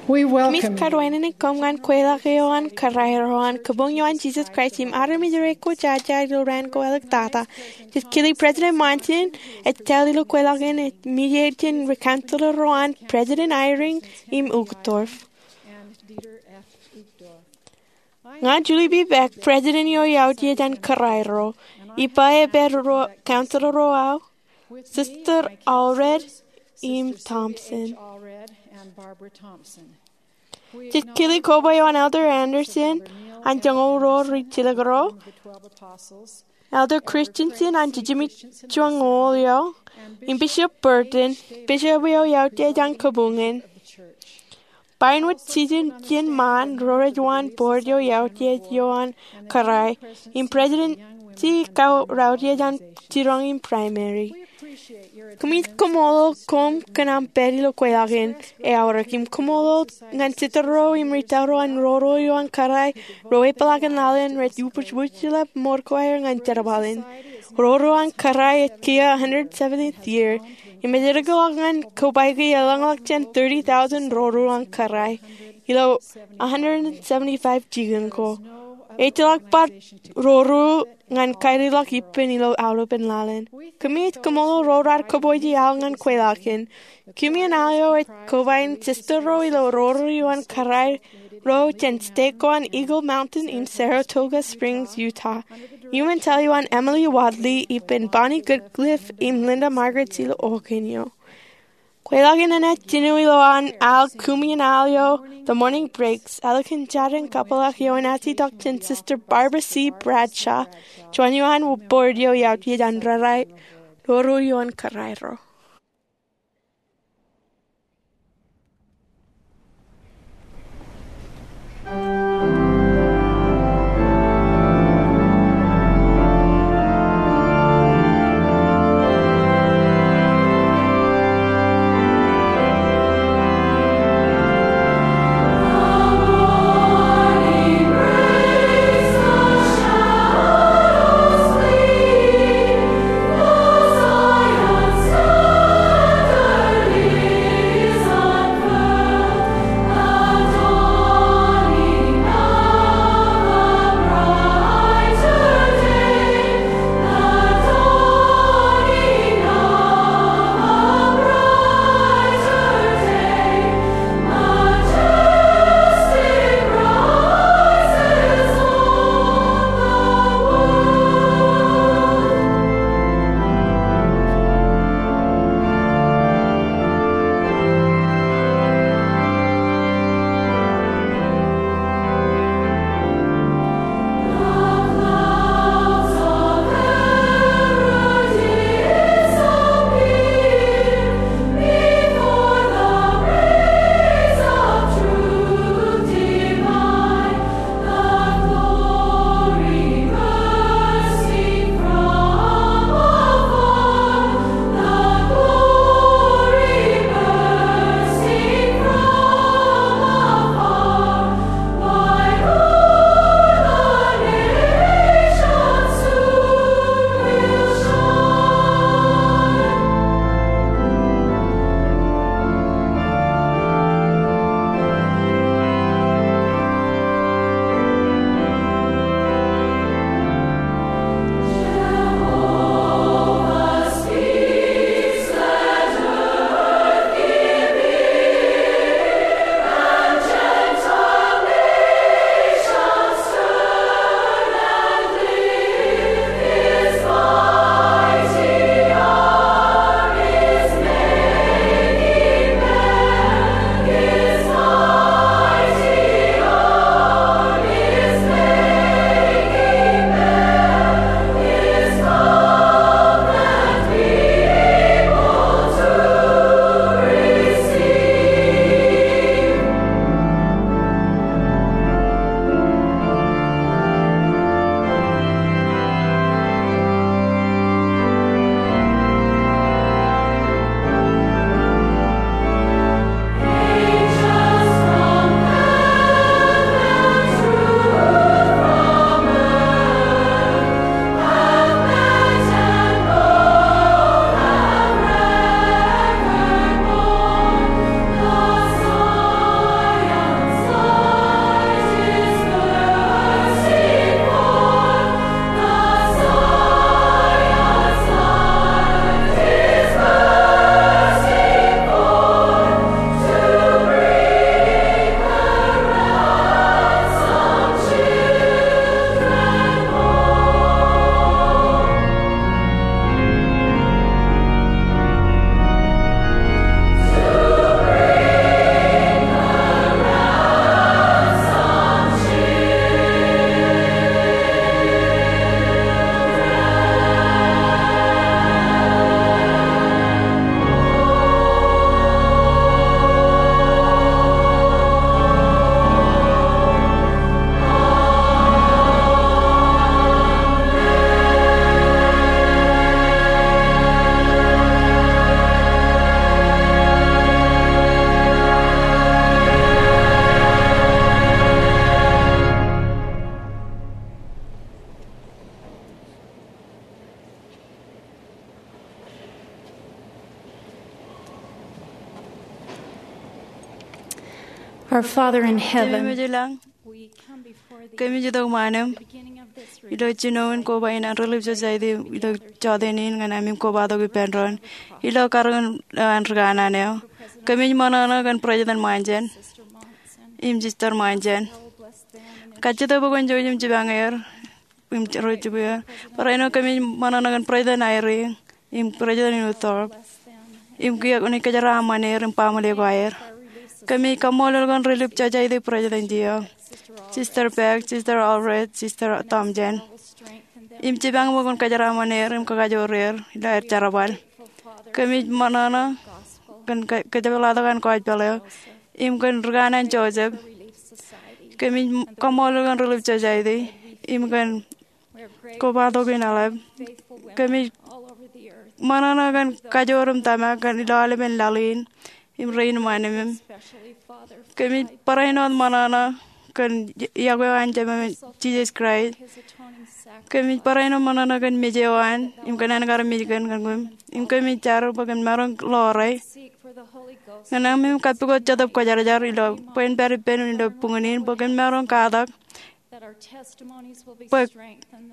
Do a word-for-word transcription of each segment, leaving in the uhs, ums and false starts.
Kōmij karuwainene koṃ ñan kweilọk eo an kōrā ro an kabuñ eo an Jisōs Kraist im armej ro ekwojaja ilo raan ko āliktata. Jej kile President Monson ej tōl ilo kweilọk in ej mijeir jān ri-councilor ro an President Eyring im Uchtdorf. Ña Julie B. Beck, President eo autiej an kōrā ro, ippa eo pād ro councilor ro aō, Sister Allred im Thompson. Jej kile koba eo an Elder Andersen an joñoul ruo ri-jilkinro, Elder Christensen an jijimjuon ñoul eo, im Bishop Burton, bishop eo autiej an kabuñ in. Bar wōt jiljino jān ṃaan ro rej uwaan board eo autiej eo an kōrā, im presidency ko rautiej an jiroñ im primary. Kōmij kaṃṃoolol koṃ kōn aṃ pād ilo kweilọk in eaorōk im kaṃṃoolol ñan sister ro im ri-tōl ro an roro eo an kōrā ro epeḷaakin laḷ in rej ubōjbōjḷọk ṃor ko aer ñan jerbal in. Roro an kōrā ej kiiō one hundred seventieth year, im ej eddekḷọk ñan kobaiki eḷaññe ḷọk jān thirty thousand roro an kōrā ilo one hundred seventy-five jikin ko. Ejjeḷọk bar roro ñan kaedikḷọk ippān ilo aolepān laḷ in. Kōmij kaṃṃoolol ro raar kōpooj iaḷ ñan kweilọk in. Kūmienal eo ej kobaik in sister ro ilo roro eo an kōrā ro jān state ko an Eagle Mountain im Saratoga Springs, Utah. Iuṃwin tōl eo an Emily Wadley ippān Bonnie Goodcliff im Linda Margaret ilo Oregon eo. Kweilọk in enaaj jino ilowaan al kūmienal eo The Morning Breaks, ālikin jarin kapeḷḷọk eo enaaj itok jān Sister Barbara C. Bradshaw, juon eo an board eo autiej an roro eo an kōrā ro. Our Father in heaven, Jemem eo ilañ, kōmij itok ṃaan eṃ ilo jinoin koba in an Relief Society ilo jọteen in ñan ami kobatok ippān doon ilo karōk eo an ri kanaan eo. Kōmij ṃōṇōṇō kōn President Monson im Sister Monson. Kajjitōk bwe kwōn jouj im jipañ er im ro jibwe er. Barāinwōt kōmij ṃōṇōṇō kōn President Eyring im President Uchtdorf im kiiō kwōnaaj kōjeraaṃṃan er im baaṃle ko aer. Kōmij kaṃṃoolol kōn Relief Society President eo, Sister Beck, Sister Allred, Sister Thompson, im jipañ bwe kwōn kōjeraaṃṃan er im kakajoor er ilo aer jerbal. Kōmij ṃōṇōṇō kōn kō- kōjepḷaaktok an gospel eo im kōn ri kanaan Joseph. Kōmij kaṃṃoolol kōn Relief Society im kōn kobatok in eḷap. Kōmij ṃōṇōṇō kōn kajoor im tōmak kōn ilo aolepen laḷ in im rein ṃanimim. Kōmij barāinwōt ṃōṇōṇō kōn yokwe eo an Jemem Jisōs Kraist. Kōmij barāinwōt ṃōṇōṇō kōn mej eo an im kōn an kar mej kōn kōn kōm. Im kōmij jar bwe kōn maroñ ḷoore ñan ami kappukot Jetōb Kwōjarjar ilo bwe en pād ippān ilo buñūn in bwe kōn maroñ katak bwe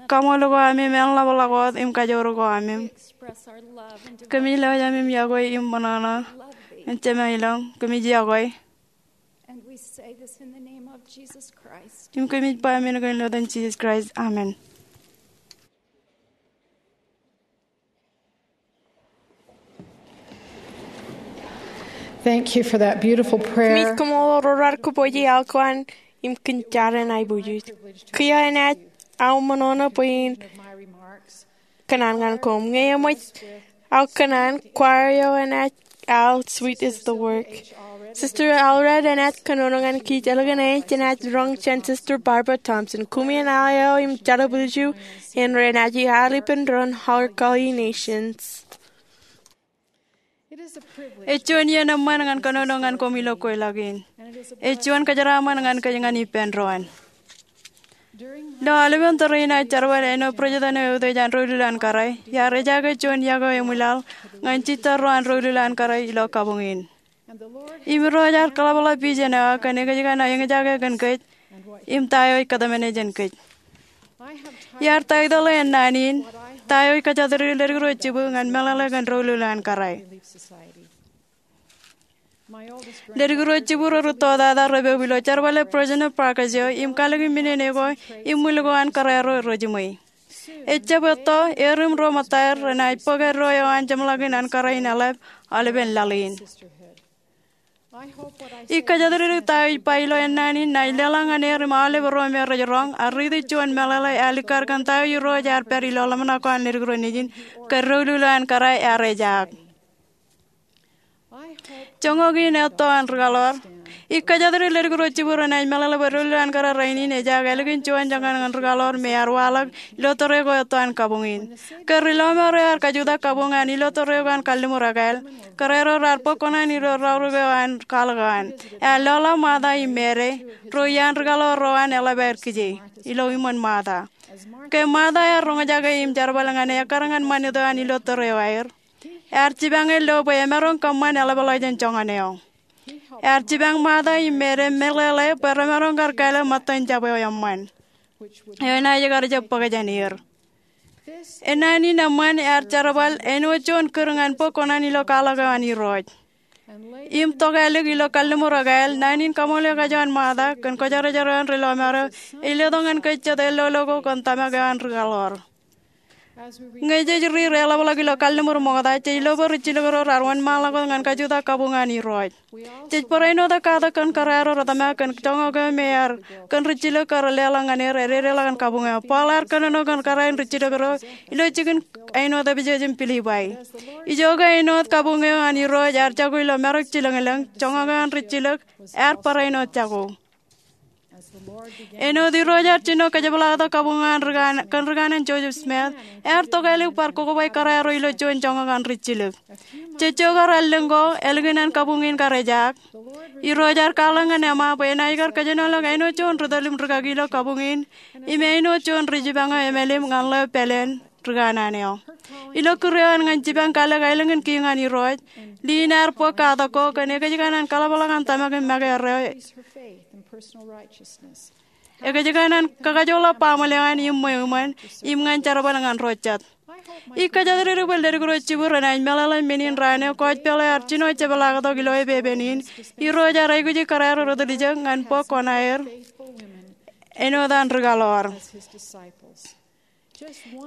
kaṃool ko ami im ḷapḷọk wōt im kajoor ko ami. Kōmij lewōj ami im yokwe im ṃōṇōṇō ñan Jemem ilañ. Kōmij yokwe. Im kōmij ba men ko ilo etan Jisōs Kraist, amen. Thank you for that beautiful prayer. Kōmij koṃṃool ro raar kōpooje aō kōṃṃan im kōn jar in aiboojoj. Kiiō enaaj aō ṃōṇōṇō bwe in kōṇaan ñan koṃ. Ñe eṃōj aō kōṇaan, choir eo enaaj al Sweet Is the Work. Sister Allred enaaj kōnono ñan kij, eḷap ñan e jenaaj roñ jān Sister Barbara Thompson. Koṃeañ al eo im jerbal eo, im renaaj al ippān doon Har Kali Nations. Ej juon iien eṃṃan ñan kōnono ñan koṃ ilo kweilọk in. Ej juon kōjeraaṃṃan ñan kōj ñan ippān doon. Ilo aolepen tōre in aō jerbal āinwōt President eo eutiej an Ro Ilul an Kōrā, iar ejaake juon yokwe eo emwilaḷ ñan jitōl ro an Ro Ilul an Kōrā ilo kabuñ in. Im Irooj ear kaḷapḷọk vision eo aō kōn ekōjkan aō eñjake kōn kōj im ta eo ej kōtmāne jān kōj. Iar taitōḷ e naan in, Ta Eo Ej Kajatdikdik Leddik Ro Jibū ñan Meḷeḷe kōn Ro Ilul an Kōrā. Leddik ro jibū ro rūtto tata repoub ilo jerbale President Parker eo im kalōk im minene ko im ṃwil ko an kōrā ro rejiṃwe. Ejab etto, er im ro ṃōttaer renaaj bōk eddo eo an jeṃḷọkin an kōrā in eḷap aolepen laḷ in. Ij kōjatdikdik ta eo ij ba ilo naan in naaj leḷọk ñan er im aolep ro me rej roñ, ak riiti juon meḷeḷe eo alikkar kōn ta eo Irooj ear pād ilo ḷōmṇak ko an leddik ro nejin kōn Ro Ilul an Kōrā ear ejaak. Joñak in etto an ri kaḷoor. Ij kōjatdikdik leddik ro jibū renaaj meḷeḷe bwe Ro Ilul an Kōrā rainin ej ak ālikin juon joñan ñan ri kaḷoor me ear waḷọk ilo tōre ko etto an kabuñ in. Ke ri lọmọọr eo ear kajutak kabuñ an ilo tōre ko an kalliṃur ekāāl, kōrā ro raar bōk kuṇaan ilo raorōk eo an kwaḷọk eo an. Ear lọḷọk Martha im Mary, ro iaan ri kaḷoor ro an eḷap aer kije, ilo iṃōn Martha. Ke Martha ear roñjake im jerbal ñan e ekkar ñan ṃanit eo an ilo tōre eo aer, ear jipañ e lo bwe emaroñ kōṃṃan eḷapḷọk jān joñan eo. Ear jipañ Martha im Mary meḷeḷe bwe remaroñ kar kāālōt ṃōttan jab eo eṃṃan, eo enaaj kar jab bōk jān er. Naan in eṃṃan ear jerbal āinwōt juon kūr ñan bōk kuṇaan ilo kwaḷọk eo an Irooj. Im tokālik ilo kalliṃur ekāāl, naan in kaṃool eo kajoor an Martha kōn kwōjarjar eo an ri lọmọọr eo ej letok ñan kōj jet ellolo ko kōn tōmak eo an ri kaḷoor. Ñe jej riir eḷapḷọk ilo kalliṃur ṃokta, jej lo bwe ri jilōk ro raar wōnṃaanḷọk wōt ñan kajutak kabuñ an Irooj. Jej barāinwōt katak kōn kōrā ro retōmak kōn joñak eo me ear, kōn ri jilōk kar leḷọk ñan er ededeḷọk an kabuñ eo. Paul ear kōnono kōn kōrā in ri jilōk ro ilo jikin āinwōt Epesōs im Pilippai. Ijoke āinwōt kabuñ eo an Irooj ear jako ilo marok jilōñlōñ, joñak eo an ri jilōk ear barāinwōt jako. Āinwōt Irooj ear jino kōjepḷaaktok kabuñ eo an ri kanaan, kōn ri kanaan Joseph Smith, ear tokālik bar kokoba kōrā ro ilo juon joñak an ri jilōk. Jejjo kar allōñ ko, ālikin an kabuñ in kar ejaak, Irooj ear kwaḷọk ñan Emma bwe enaaj kar kōjenolọk āinwōt juon ri tōl im ri kaki ilo kabuñ in, im āinwōt juon ri jipañ eo emelim ñan ḷeo pāleen ri kanaan eo. Ilo kūr eo an ñan jipañ kalōk aelōñ in kiiñ an Irooj, Lynn ear bōk katak ko kōn ekōjkan an kaḷapḷọk an tōmak im make erreo. Ekōjkan an kakajoḷọk baaṃle eo an im ṃweo iṃōn im ñan jerbal ñan ro jet. Ij kōjatdikdik bwe ledik ro jibwe renaaj meḷeḷe men in raan eo kōjpeḷ eo ear jino jepḷaaktok ilo epepen in. Irooj ear aikuji kōrā ro ri tiljek ñan bōk koṇaer āinwōt an ri kaḷoor.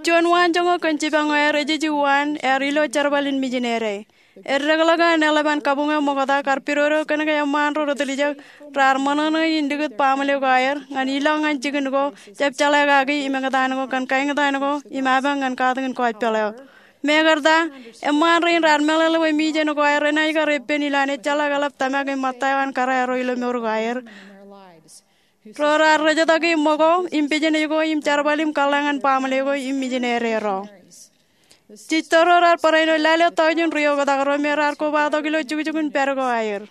Juon waanjoñak kōn jipañ eo aer ej ej uwaan ear ilo jerbal in mijinede. Eddekḷọk an eḷap an kabuñ eo ṃokta kar pidodo kōnke eṃṃaan ro ri tiljek raar ṃōṇōṇō in likūt baaṃle ko aer ñan ilọk ñan jikin ko, jab jeḷā kaki im eñtaan ko kōn kaeñtaan ko im apañ ñan katakin kōjpeḷ eo. Mekarta, eṃṃaan rein raar meḷeḷe bwe mijen ko aer renaaj kar eppen ilowaan ejjeḷọk eḷap tōmak im ṃōtta eo an kōrā ro ilo mour ko aer. Ro raar rejjitōk im ṃōko im pejenej ko im jerbal im kōḷḷā ñan baaṃle ko im mijinede ro. Jitō ro raar barāinwōt lale tọujin ri oktak ro me raar kobatok ilo jukjuk in pād ko aer.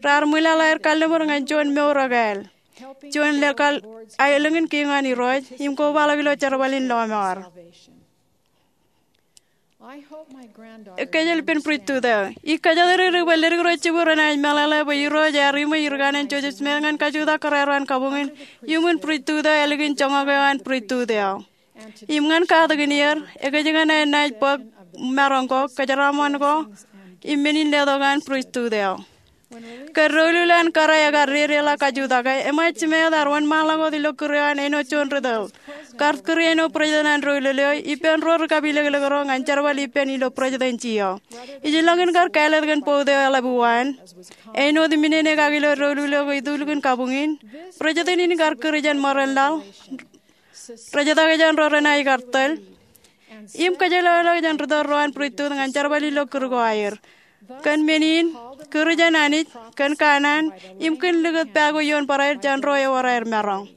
Raar ṃwilaḷ aer kalliṃur ñan juon mour ekāāl, juon leḷọk aelōñ in kiiñ an Irooj im kobaḷọk ilo jerbal in lọmọọr. Ekkejel ippān priesthood eo. Ij kōjatdikdik bwe ledik ro jibwe renaaj meḷeḷe bwe Irooj ear iṃwe Ri Kanaan Joseph Smith ñan kajutak kōrā ro an kabuñ in iuṃwin priesthood eo ālikin joñak eo an priesthood eo. Im ñan katakin er, ekōjkan aer naaj bōk maroñ ko, kōjeraaṃṃan ko, im men in letok an priesthood eo. Kōn doulul eo an kōrā ekar dedeḷọk kajutake, eṃōj Smith ear wōnṃaanḷọk wōt ilo kūr eo an āinwōt juon ri tōl. Kar kūr āinwōt president an doulul eo ippān ro ri kapilōklōk ro ñan jerbal ippān ilo presidency eo. Ij ilọk in kar kāālōt kōn bout eo eḷap uwaan. Āinwōt iminene kaki ilo doulul eo ke ituluk in kabuñ in, president in kar kūr jān ṃōrenlaḷ, rejjitōk jān ro renaaj kar tōl, im kōjjeḷāḷọkjeṇ ri tōl ro an priesthood ñan jerbal ilo kūr ko aer. Kōn men in, kūr jān Anij, kōn kanaan, im kōn likūt pā ko ioon barāinwōt jān ro ewōr aer maroñ.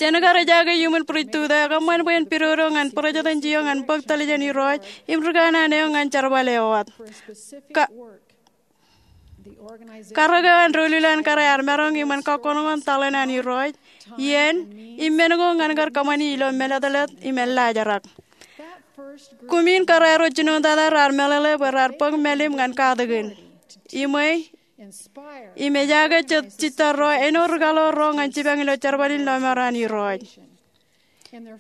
Jen kar ejaake iuṃwin priesthood eo ekōṃṃan bwe en pidodo ñan presidency eo ñan bōk tōl jān Irooj im ri kanaan eo ñan jerbal eo wōt. Ka Karōk eo an doulul eo an kōrā ear maroñ iṃōn kakkoṇkoṇ tōḷ in an Irooj, iien, im men ko ñan kar kōṃṃani ilo mālōtlōt im ellaajrak. Kumin kōrā ro jinoin tata raar meḷeḷe bwe raar bōk mālim ñan katakin, iṃwe, im ejaake jet jitōl ro āinwōt ri kaḷoor ro ñan jipañ ilo jerbal in lọmọọr an Irooj.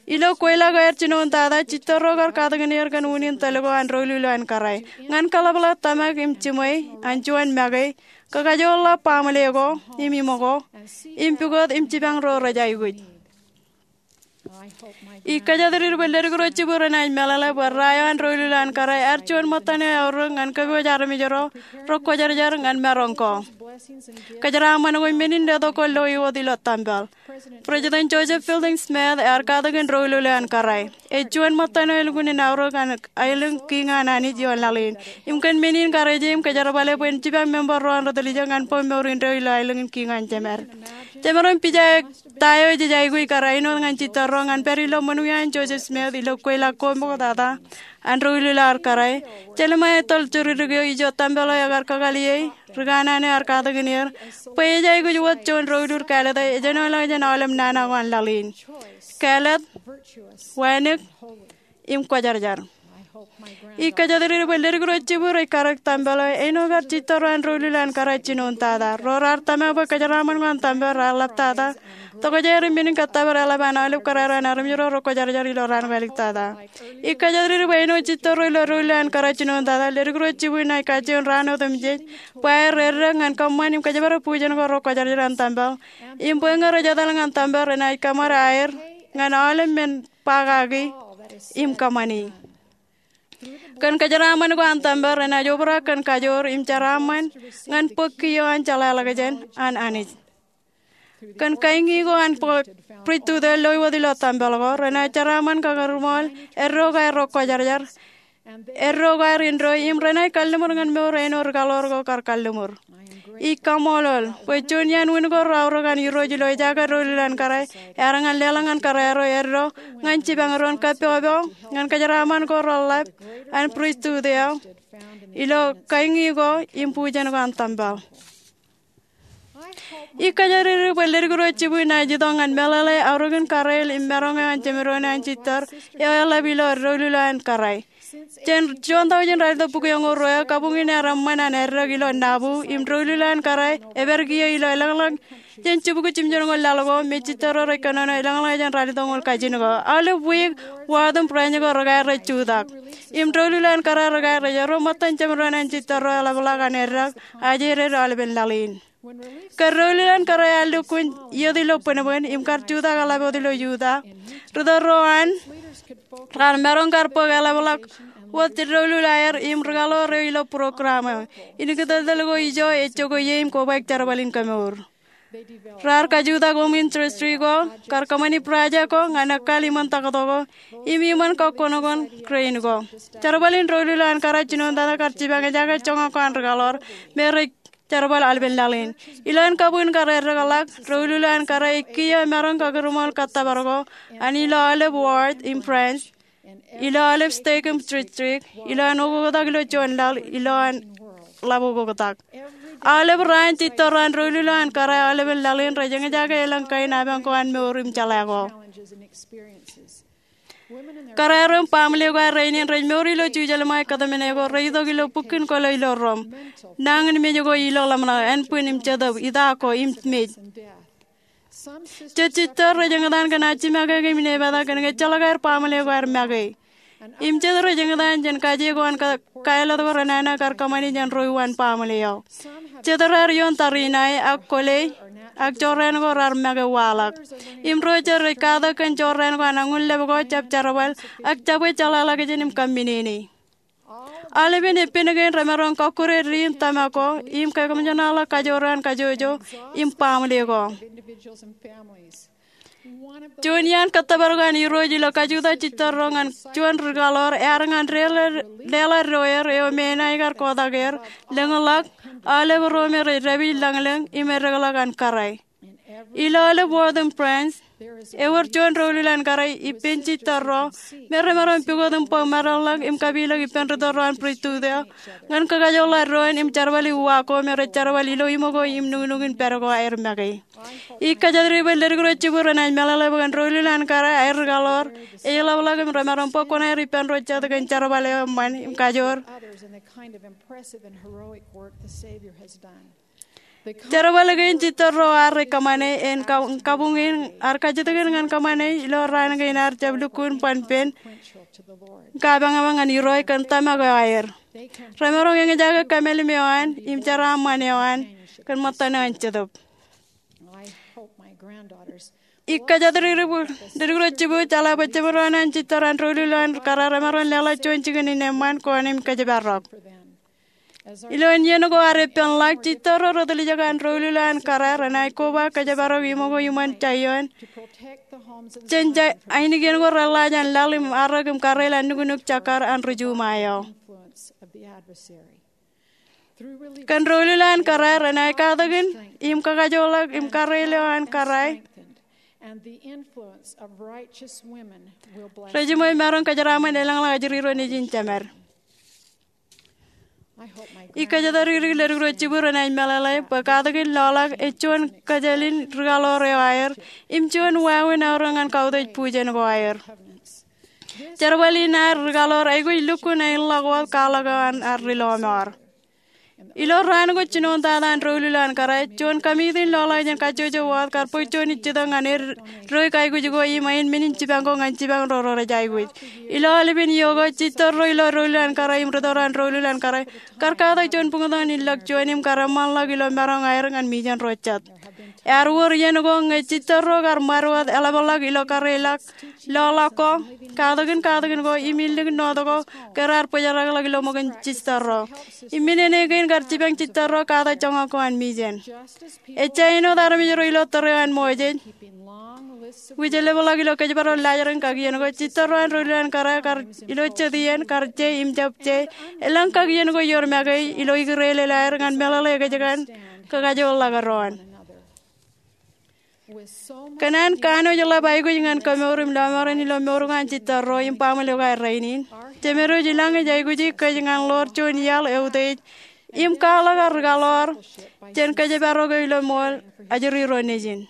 Ilo kweilọk eo aer jinoin tata, jitōl ro kar katakin er kōn unin tōl ko an doulul eo an kōrā ñan kaḷapḷọk tōmak im jiṃwe an juon make, kakajoorḷọk baaṃle ko im iṃōk ko, im pukot im jipañ ro rej aikuj. Ij kōjatdikdik bwe ledik ro jibwe renaaj meḷeḷe bwe rā eo an doulul eo an kōrā ear juon ṃōttan eo eaorōk ñan kōpooj armej ro rekwōjarjar ñan maroñ ko, kōjeraaṃṃan ko im men in letok ko loi wōt ilo tempel. President Joseph Fielding Smith ear katakin doulul eo an kōrā. Ej juon ṃōttan eo elukkuun in aorōk an aelōñ kiiñ an Anij ioon laḷ in. Im kōn men in kar eje im kōjerbale bwe en jipañ member ro an ri tiljek ñan bōk mour indeeo ilo aelōñ in kiiñ an Jemed. Jemaroñ pija ta eo jej aikuj kar āinwōt ñan jitōl ro ñan pād ilo ṃōn wiain Joseph Smith ilo kweilọk ko ṃoktata an doulul eo an kōrā. Jeremiah tōl juridik eo ijo tempel eo ekar kakaliei, ri kanaan eo ear katakin er, bwe ej aikuj wōt juon doulul kāālōt eo ejenoḷọk jān aolep nana ko an laḷ in. Kāālōt, wānōk, im kwōjarjar. Ij kōjatdikdik bwe ledik ro jibwe rej karōk tempel eo āinwōt kar jitōl ro an doulul eo an kōrā jinoin tata. Ro raar tōmak bwe kōjeraaṃṃan ko an tempel raar ḷaptata. Tokjāer im men in kōttōpar eḷap an aolep kōrā ro an armej ro rekwōjarjar ilo raan ko āliktata. Ij kōjatdikdik bwe āinwōt jitōl ro ilo doulul eo an kōrā jinoin tata, ledik ro jibwe naaj kajjioñ raan otemjej bwe aer eddek ñan kōṃṃan im kōjparok bujen ko rekwōjarjar an tempel im bwe ñe rej etal ñan tempel renaaj kōṃṃan aer ñan aolep men ba kaki im kōṃṃani. Kōn kōjeraaṃṃan ko an tempel renaaj obrak kōn kajoor im jeraaṃṃan ñan bōk kiiō an jeḷāḷọkjeṇ an Anij. Kōn kañi ko an priesthood eo loi wōt ilo tempel ko, renaaj jeraaṃṃan kakūrṃool eddo ko aer rekwōjarjar, eddo ko aer indeeo, im renaaj kalliṃur ñan mour āinwōt ri kaḷoor ko kar kalliṃur. Ij kaṃṃoolol bwe juon iaan wūn ko reaorōk an Irooj ilo ejaake doulul eo an kōrā ear ñan leḷọk ñan kōrā ro eddo ñan jipañ doon kappokpok ñan kōjeraaṃṃan ko reḷḷap an priesthood eo ilo kañi ko im bujen ko an tempel. Ij kōjatdikdik bwe leddik ro jibū naaj itok ñan meḷeḷe aorōkin kōrā im maroñ eo an jemdoon an jitōr eo eḷap ilo doulul an kōrā. Jān juon taujin ralitōk bukwi eñoul ruo, kabuñ in ear eṃṃan an eddek ilo Nauvoo im doulul an kōrā epād kiiō ilo elōñḷọk jān jibukwi jimjuonñoul laḷ ko me jitōrro rej kōnono elōñḷọk jān ralitōk ñoul kajin ko. Aolep wiik, ward im branch ko rekar rej jutak im doulul an kōrā rekar rej erro ṃōttan jemdoon an jitōrro eḷapḷọk an eddek ajri aolepen laḷ in. Ke doulul an kōrā ear lukkuun iiet ilo bōnbōn im kar jutak eḷap wōt ilo Utah, ritōl ro an raar maroñ kar bōk eḷapḷọk wōt doulul aer im ri-kōḷoor eo ilo program eo. Indepen ko ijo ej jokwe ie im kobaik jerbal in kemour. Raar kajutak home ministry ko, kar kōṃṃani project ko ñan ekkal iṃōn taktō ko im iṃōn kakkōṇokōṇ crane ko. Jerbal in doulul an kōrā jinointata kar jipañ ejaake joñak ko an ri-kōḷoor me rej jerbal aolepen laḷ in. Ilo an kabuñ in kar eddekḷọk, doulul an kōrā ej kiiō maroñ kakūrṃool kōttōpar ko an ilo aolep ward im branch, ilo aolep stake im district, ilo an okoktak ilo juon laḷ, ilo an ḷap okoktak. Aolep raan, jitōrro an doulul an kōrā aolepen laḷ in rej eñjake elōñ kain apañ ko an mour im jeḷā ko. Kōrā ro im baaṃle ko aer rainin rej mour ilo jujālṃae kōtmāne ko rej itok ilo bukkin kōlo ilo rom. Nañinmej ko ilo ḷōmṇak, ānbwin im jetōb, ita ko im mej. Jet jitōr rej eñtaan kōn ajimake im inepata kōn ke ejjeḷọk aer baaṃle ko aer make. Im jet rej eñtaan jān kaje ko an ka-, kaelōt ko renana kar kōṃṃani jān ro uwaan baaṃle eo. Jet raar ioon tariṇae ak kwōle, ak jorrāān ko raar make waḷọk. Im ro jet rej katak kōn jorrāān ko an añuṇ lōb ko jab jerbal, ak jabwe jeḷāḷọkjeṇ im kōmminene. Aolepen eppān kein remaroñ kọkkure diin tōmak ko, im kōmjōñḷọk kajoor an kajjojo im baaṃle ko. Juon iaan kōttōpar ko an Irooj ilo kajutak jitōrro ñan juon ri-kōḷoor ear ñan leḷọk, leḷọk doer eo men aer kar kotak er, lōñḷọk, aolep ro me rej dāpij lañlōñ im eddekḷọk an kōrā. Ilo aolep ward im branch, ewōr juon doulul an kōrā ippān jitōrro me remaroñ pukot im bōk meḷọkḷọk im kapilōk ippān ritōl ro an pristut eo ñan kakajoorḷọk doon im jerbali uwaak ko me rej jerbal ilo iṃōko im nuknuk in pād ko aer make. Ij kōjatdikdik bwe leddik ro jibū renaaj meḷeḷe bwe kōn doulul an kōrā aer ri-kōḷoor ej ḷapḷọk im remaroñ bōk kuṇaer ippān ro jet kōn jerbal eo eṃṃan im kajoor. Jerbal kein jitōrro ar rej kōṃṃane en ka-, kabuñ in ar kajjitōk in ñan kōṃṃane ilo raan kein ar jab lukkuun ban pen kapañpañ ñan Irooj kōn tōmak eo aer. Remaroñ eñjake kōmālim eo an im jeraaṃṃan eo an kōn ṃōttan eo an Jetōb. Ij kōjatdikdik bwe leddik ro jibū jeḷā bwe jemdoon an jitōr an doulul an kōrā remaroñ leḷọk juon jikin in eṃṃan, koṇe im kōjparok. Ilo iien ko ar eppānḷọk, jitōrro retiljek an doulul an kōrā renaaj koba kōjparok iṃōko iṃōn jaiọọn jān ainikien ko reḷḷaaj an laḷ im arrōk im karreel an nuknuk jekkar an ri-juṃae eo. Kōn doulul an kōrā renaaj katakin im kakajoorḷọk im karreel eo an kōrā rejiṃwe maroñ kōjeraaṃṃan elōñḷọk ajri ro nejin jemed. Ij kōjatdikdik leddik ro jibū renaaj meḷeḷe bwe katakin lọḷọk ej juon kōjālin ri-kōḷoor eo aer im juon wāween eo aer ñan kautiej bujen ko aer. Jerbal in aer ri-kōḷoor aikuj lukkuun aenḷọk wōt kwaḷọk eo an ar ri-lọmọọr. Ilo raan ko jinoin tata an doulul an kōrā, juon kamiitin lọḷọk jān kajjojo wōt kar bōk juon ijjitōk ñan eddo aikuj ko im ain men in jipañ ko ñan jipañ ro rej aikuj. Ilo aolepen iiō ko, jitōrro ilo doulul an kōrā im ritōl ro an doulul an kōrā kar katak juon buñtōn in ḷọk juon im kar eṃṃanḷọk ilo maroñ aer ñan mijen ro jet. Ear wōr iien ko ñe jitōrro kar ṃad wōt eḷapḷọk ilo karreoḷọk, lọḷọk ko, katakin katakin ko im ilikin north ko ke raar bōjrakḷọk ilo ṃōkin jitōrro. Im men eo kein kar jipañ jitōrro katak joñak ko an mijen. Ejja āinwōt armej ro ilo tōre eo an Moses, which eḷapḷọk ilo kōjparok laajrak in kakien ko, jitōrro an doulul an kōrā kar ilo jet iien kar je im jab je elōñ kakien ko ioon make ilo ikōrā eo aer ñan meḷeḷe ekōjkan kakajoorḷọk doon. Kōn an kanooj ḷap aikuj ñan kemour im lọmọọren ilo mour ko an jitōrro im baaṃle ko aer rainin, jemedwōj ilañ ej aikuji kōj ñan ḷoor juon iaḷ eutiej im kwaḷọk ad rikaḷoor jān kōjparok eo ilo ṃool ajri ro nejin.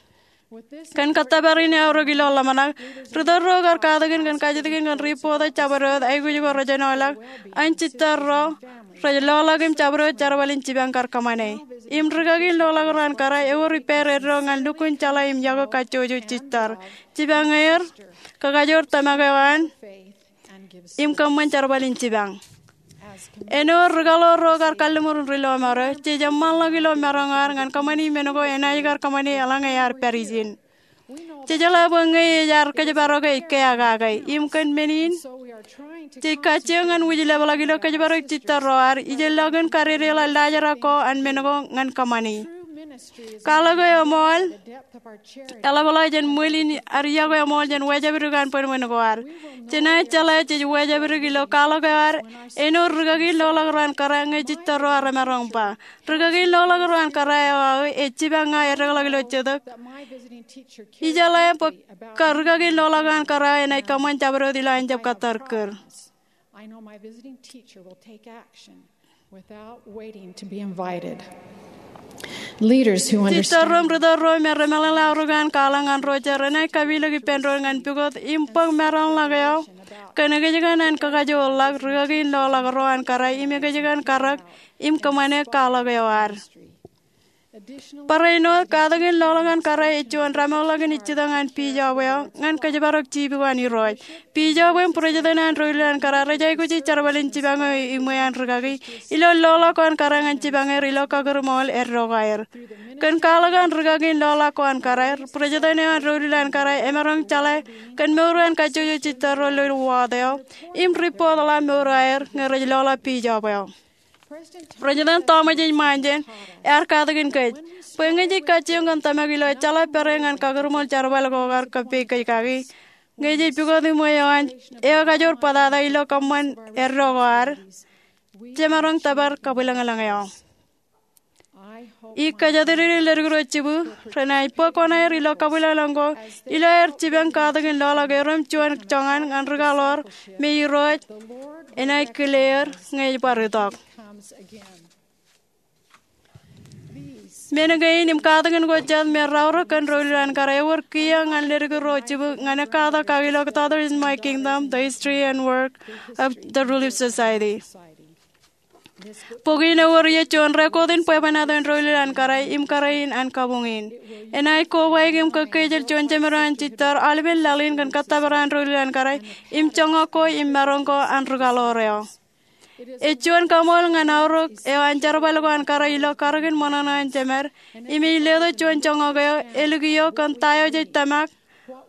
Kōn kōttōpar in eaorōk ilo ḷōmṇak, ri tōl ro kar katakin kōn kajjitōk in kōn ri bōktok jabdewōt aikuj ko rej āinwōt an jitōl ro rej loḷọk im jabdewōt jerbal in jipañ kar kōṃṃane. Im rikaki in loḷọk ro an kōrā ewōr ippāer eddo ñan lukkuun jeḷā im yokwe kajjojo jitōl, jipañ er, kakajoor tōmak eo an, im kōṃṃan jerbal in jipañ. Āinwōt rikaḷoor ro kar kalliṃur in ri lọmọọr eo, jej eṃṃanḷọk ilo maroñ ad ñan kōṃṃani men ko enaaj kar kōṃṃane eḷaññe ear pād ijin. Jej jeḷā bwe ñe ej ad kōjparok ej keakake, im kōn men in jej kajjioñ ñan wūjlepḷọk ilo kōjparok jitōl ro ad, ijellọkin kadedeḷọk laajrak ko an men ko ñan kōṃṃani. Kwaḷọk eo eṃool eḷapḷọk jān ṃwil in ad yokwe eṃool jān wājepdik an bwinbwin ko ad. Jenaaj jeḷā jej wājepdik ilo kwaḷọk eo ad āinwōt rikaki in loḷọk ro an kōrā ñe jitōl ro remaroñ ba. Rikaki in loḷọk ro an kōrā eo aō ej jipañ ña edekḷọk ilo jetōb. Ijeḷā bwe rikaki in loḷọk ro an kōrā eo enaaj kōṃṃan jabdewōt ilo an jab kōttar kūr. I know my visiting teacher will take action without waiting to be invited. Leaders who understand. Jitōl ro im ri tōl ro me remeḷeḷe aorōk an kwaḷọk ñan ro jet renaaj kapilōk ippān doon ñan pukot im bōk maroñḷọk eo kōn ekōjkan an kakajoorḷọk rikaki in loḷọk ro an kōrā im ekōjkan karōk im kōṃṃane kwaḷọk eo ad. Barāinwōt, katakin loḷọk an kōrā ej juon rōmeḷeḷein ijjitōñ an bijob eo ñan kōjparok jibukwan Irooj. Bijob im bwidjetan an doulul an kōrā rej aikuji jerbal in jipañ eo iṃwe an rikaki ilo loḷọk ko an kōrā ñan jipañ er ilo kakūrṃool eddo ko aer. Kōn kwaḷọk an rikaki in loḷọk ko an kōrā, bwidjetan eo an doulul an kōrā emaroñ jeḷā kōn mour an kajjojo jitōl ro ilo wōt eo im ri bōktok mour ko aer ñe rej loḷọk bijob eo. President Thomas H. Monson ear katakin kōj bwe ñe jej kajjioñ kōn tōmak ilo ejjeḷọk pere ñan kakūrṃool jerbal ko kar kōppeikōj kaki, ñe jej pukot iṃwe eo an eo ekajoor bōtata ilo kōṃṃan eddo ko ad, jemaroñ tōpar kabwilōñlōñ eo. Ij kōjatdikdik ledik ro jibū renaaj bōk kuṇaer ilo kabwilōñlōñ ko ilo aer jipañ katakin loḷọk erom juon joñan ñan rikaḷoor me Irooj enaaj kile er ñe ej bar itok. Men kein im katakin ko jet me raorōk kōn doulul an kōrā ewōr kiiō ñan ledik ro jibū ñan ekkatak kakilọk Daughters in My Kingdom: The History and Work of the Relief Society. Bok in ewōr ie juon record in bwebwenato in doulul an kōrā im kōrā in an kabuñ in. Enaaj kobaik im kōkkeejel juon jemed eo an jitōl aolepen laḷ in kōn kōttōpar an doulul an kōrā im joñak ko im maroñ ko an rikaḷoor eo. Ej juon kaṃool ñan aorōk eo an jerbal ko an kōrā ilo karōk in ṃōṇōṇō an jemed im ej letok juon joñak eo elikio kōn ta eo jej tōmak,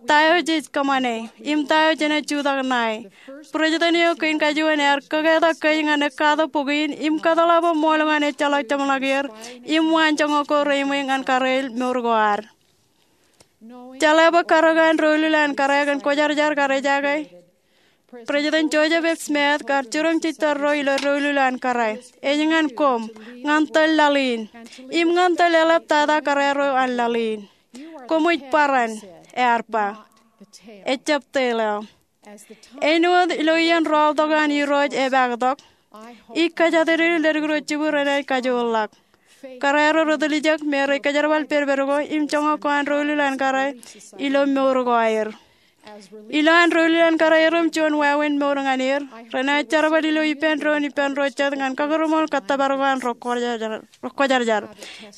ta eo jej kōṃṃane, im ta eo jenaaj jutak ṇae. Bwidjetan eo kein kajuon ear kōketak kōj ñan ekkatak bok in im kōtḷọk bwe ṃool ko an ejjeḷọk jeṃḷọk er im waan joñak ko reiṃwe ñan kōrā in mour ko ad. Jeḷā bwe karōk an doulul an kōrā kōn kwōjarjar kar ejaake, President Joseph F. Smith kar jiroñ jitōl ro ilo doulul an kōrā. Ej ñan koṃ, ñan tōl laḷ in, im ñan tōl eḷaptata kōrā ro an laḷ in. Koṃij bōran, ear ba, ejjab tōl eo. Āinwōt ilo iien rọọltok an Irooj epaaktok, ij kōjatdikdik ledik ro jibū renaaj kajoorḷọk. Kōrā ro rej tiljek me rej kōjerbal pedped ko im joñak ko an doulul an kōrā ilo mour ko aer. Ilo an doulul an kōrā erom juon wāween mour ñan er, renaaj jerbal ilo ippān doon ippān ro jet ñan kakūrṃool kōttōpar ko an rej kwōjarjar.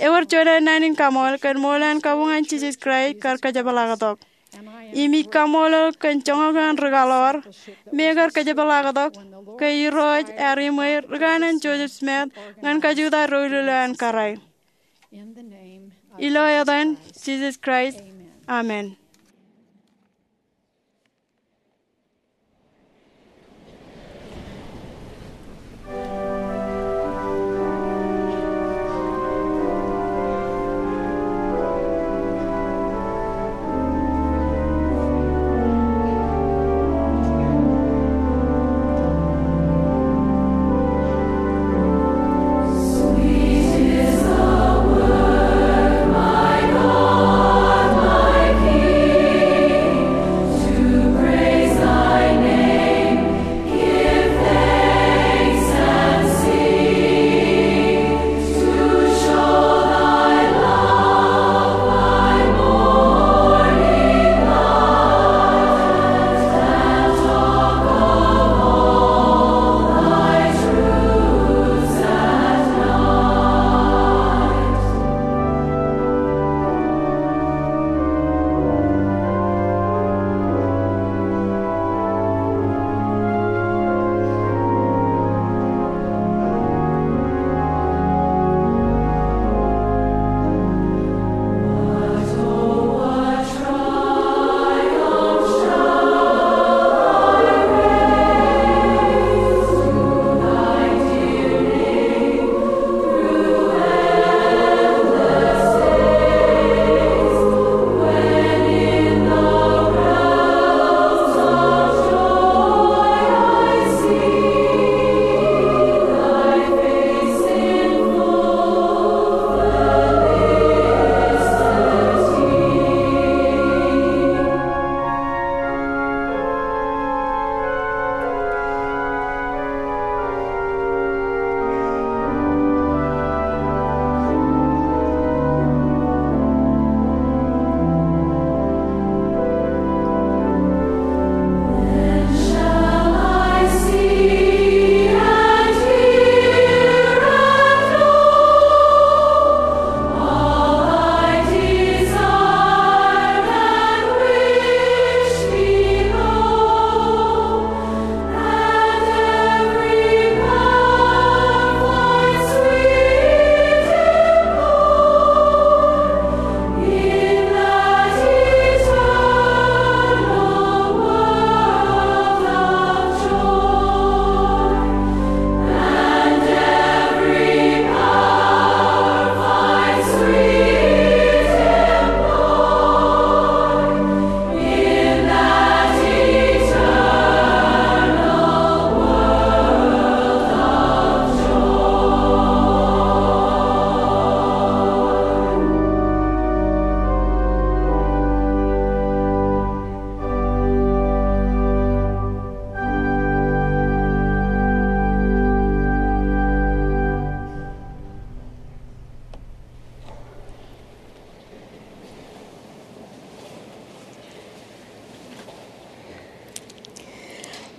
Ewōr juon naan in kaṃool kōn ṃool an kabuñ an Jisōs Kraist kar kōjepḷaaktok. Im ij kaṃṃoolol kōn joñak eo an rikaḷoor, me kar kōjepḷaaktok, ke Irooj ear iṃwe ri kanaan Joseph Smith ñan kajutak doulul eo an kōrā. Ilo etan Jisōs Kraist, amen.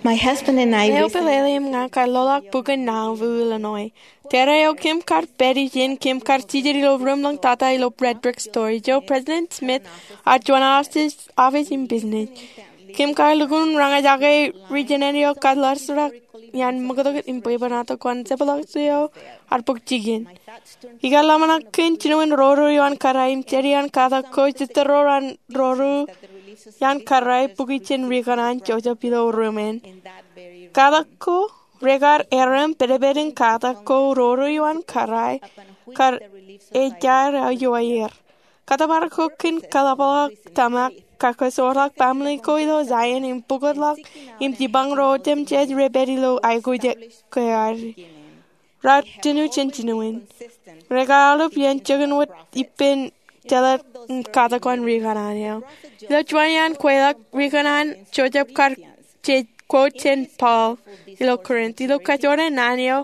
My husband and I Eo pālle im ña kar loḷọk bukun Nauvoo, Illinois. Tōre eo kōm kar pād ijin, kōm kar jijet ilo ruum ḷōñ tata ilo Red Brick Store. Ijo President Smith ear juon office im business. Kōm kar lukkuun roñjake ri-jenan eo kar ḷōḷḷap iaan ṃōktok im bwebwenato kōn jepḷaak eo ear bōk jikin. Ikar ḷōmṇak kōn jinoin roro ioon kōrā im jāde iaan katak ko, jitōn ro an roro ioon kōrā bukwi jān ri-kōṇaan Joseph ilo ruumen. Katak ko, rekar erom pedped in katak ko roro ioon kōrā kar ejaer aō ioer. Kōttōpar ko kōn kaḷapḷọk tōmak, kakkōsoorḷọk baaṃle ko ilo Zion im pukotḷọk im jipañ ro otemjej rej pād ilo aikuj ke ad. Raar tūnū jān jinoin. Rekar aolep iien jikin wōt ippān jeḷā katak ko an ri-kōṇaan eo. Ilo juon iaan kweilọk, ri-kōṇaan Joseph kar jej quote jān Paul ilo Corinth. Ilo kajjojo naan eo,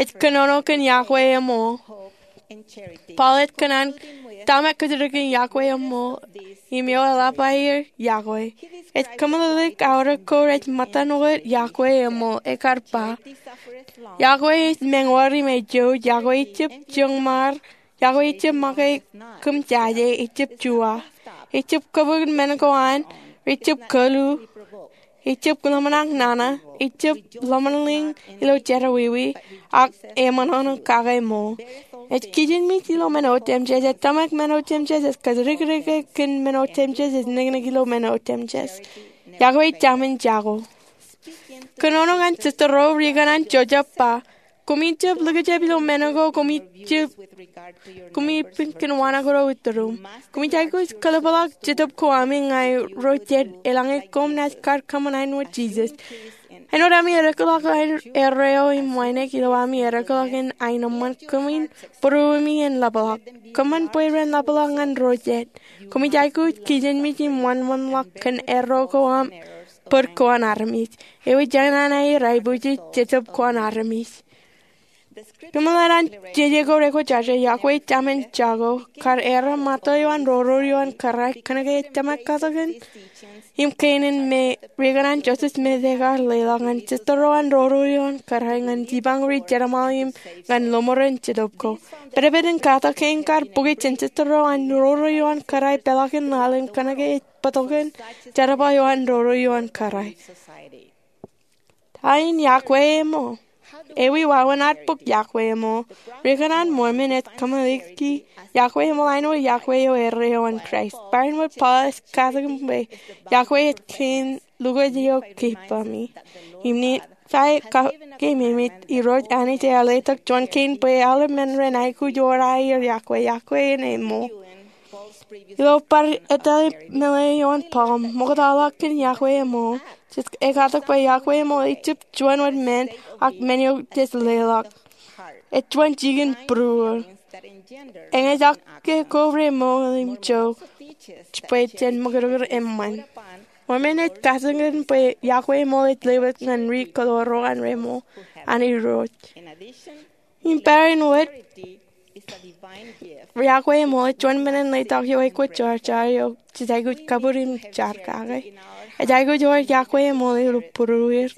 ej kōnono kōn iọkwe eṃool. Paul ej kōṇaan tōmak kōjatdikdik in iọkwe eṃool im eo eḷap aer iọkwe. Ej kōmeḷeḷeik aorōk ko rej ṃōttan wōt iọkwe eṃool. Ekar ba, iọkwe ej meñoor im ejouj, iọkwe ejjab joñmaar, iọkwe ejjab make kōmjaje, ejjab juwa, ejjab kōbōk men ko an, ejjab kōlu, ejjab ḷōmṇak nana, ejjab ḷōmṇak ilo jerọwiwi, ak eṃōṇōṇō kake ṃool. Ej kijenmej ilo men otemjej, ej tōmak men otemjej, ej kōjatdikdik kōn men otemjej, ej niknik ilo men otemjej. Iọkwe ej taṃen jako. Kōnono ñan jitōnro, ri-kōṇaan Joseph ba, koṃ ijjab likjab ilo men ko, koṃ ijjab, koṃ ijjab kōn wānōk ro itūrūṃ. Koṃij aikuj kōḷapḷọk jetōb ko ami ñan ro jed eḷaññe koṃ naaj kar kōṃṃan āinwōt Jisōs. Āinwōt ami eddekḷọk ḷọk erreo im wānōk, ilo ami eddekḷọk in aenōṃṃan, kōmin būruemi en ḷapḷọk. Kōṃṃan bwe ren ḷapḷọk ñan ro jed. Koṃij aikuj kijenmej im wōnṃaanḷọk kōn erro ko aṃ bōd ko an armej. Ewi jān an aer aikuj jej jetōb ko an armej. Kōmeḷeḷe an jeje ko rekwōjarjar, iọkwe ej taṃen jako, kar erom ṃōttan ro ro ioon kōrā kōnke ej tōmak katakin im kein in me ri-kōṇaan Joseph Smith ekar leḷọk ñan jitōnro an roro ioon kōrā ñan jipañ ri-jerbal im ñan lọmọọren jetōb ko. Pedped in katak kein kar bukwi jān jitōnro an roro ioon kōrā peḷaakin laḷ in kōnke ej bōktok in jerbal eo an roro ioon kōrā. Ta in iọkwe eṃool? Ewi wāween ad bōk iọkwe eṃool? Ri-kōṇaan Mormon ej kōmālōtlōt iọkwe eṃool āinwōt iọkwe eo erreo an Kraist. Barāinwōt Paul ej katakin bwe iọkwe ej kein lukwōj eo keepami. Im Nifai kake ememej, Irooj Anij ear letok juon kein bwe aolep men ren aikuj ewōr aer iọkwe, iọkwe in eṃool. Ilo bar ettā meḷeḷe eo an Paul, ṃoktaḷọk kōn iọkwe eṃool. Jej ekatak bwe iọkwe eṃool ejjab juon wōt men, ak men eo jej leḷọk. Ej juon jikin būruō. Eñjake ko remool im jo bwe jen ṃakūtkūt eṃṃan. Mormon ej katakin bwe iọkwe eṃool ej lewōj ñan ri-kōtōpar ro an remool an Irooj. Im barāinwōt, iọkwe eṃool ej juon men in letok eo ekwōjarjar eo jej aikuj kabūr im jar kake. Ej aikuj ewōr iọkwe eṃool ilo būrueir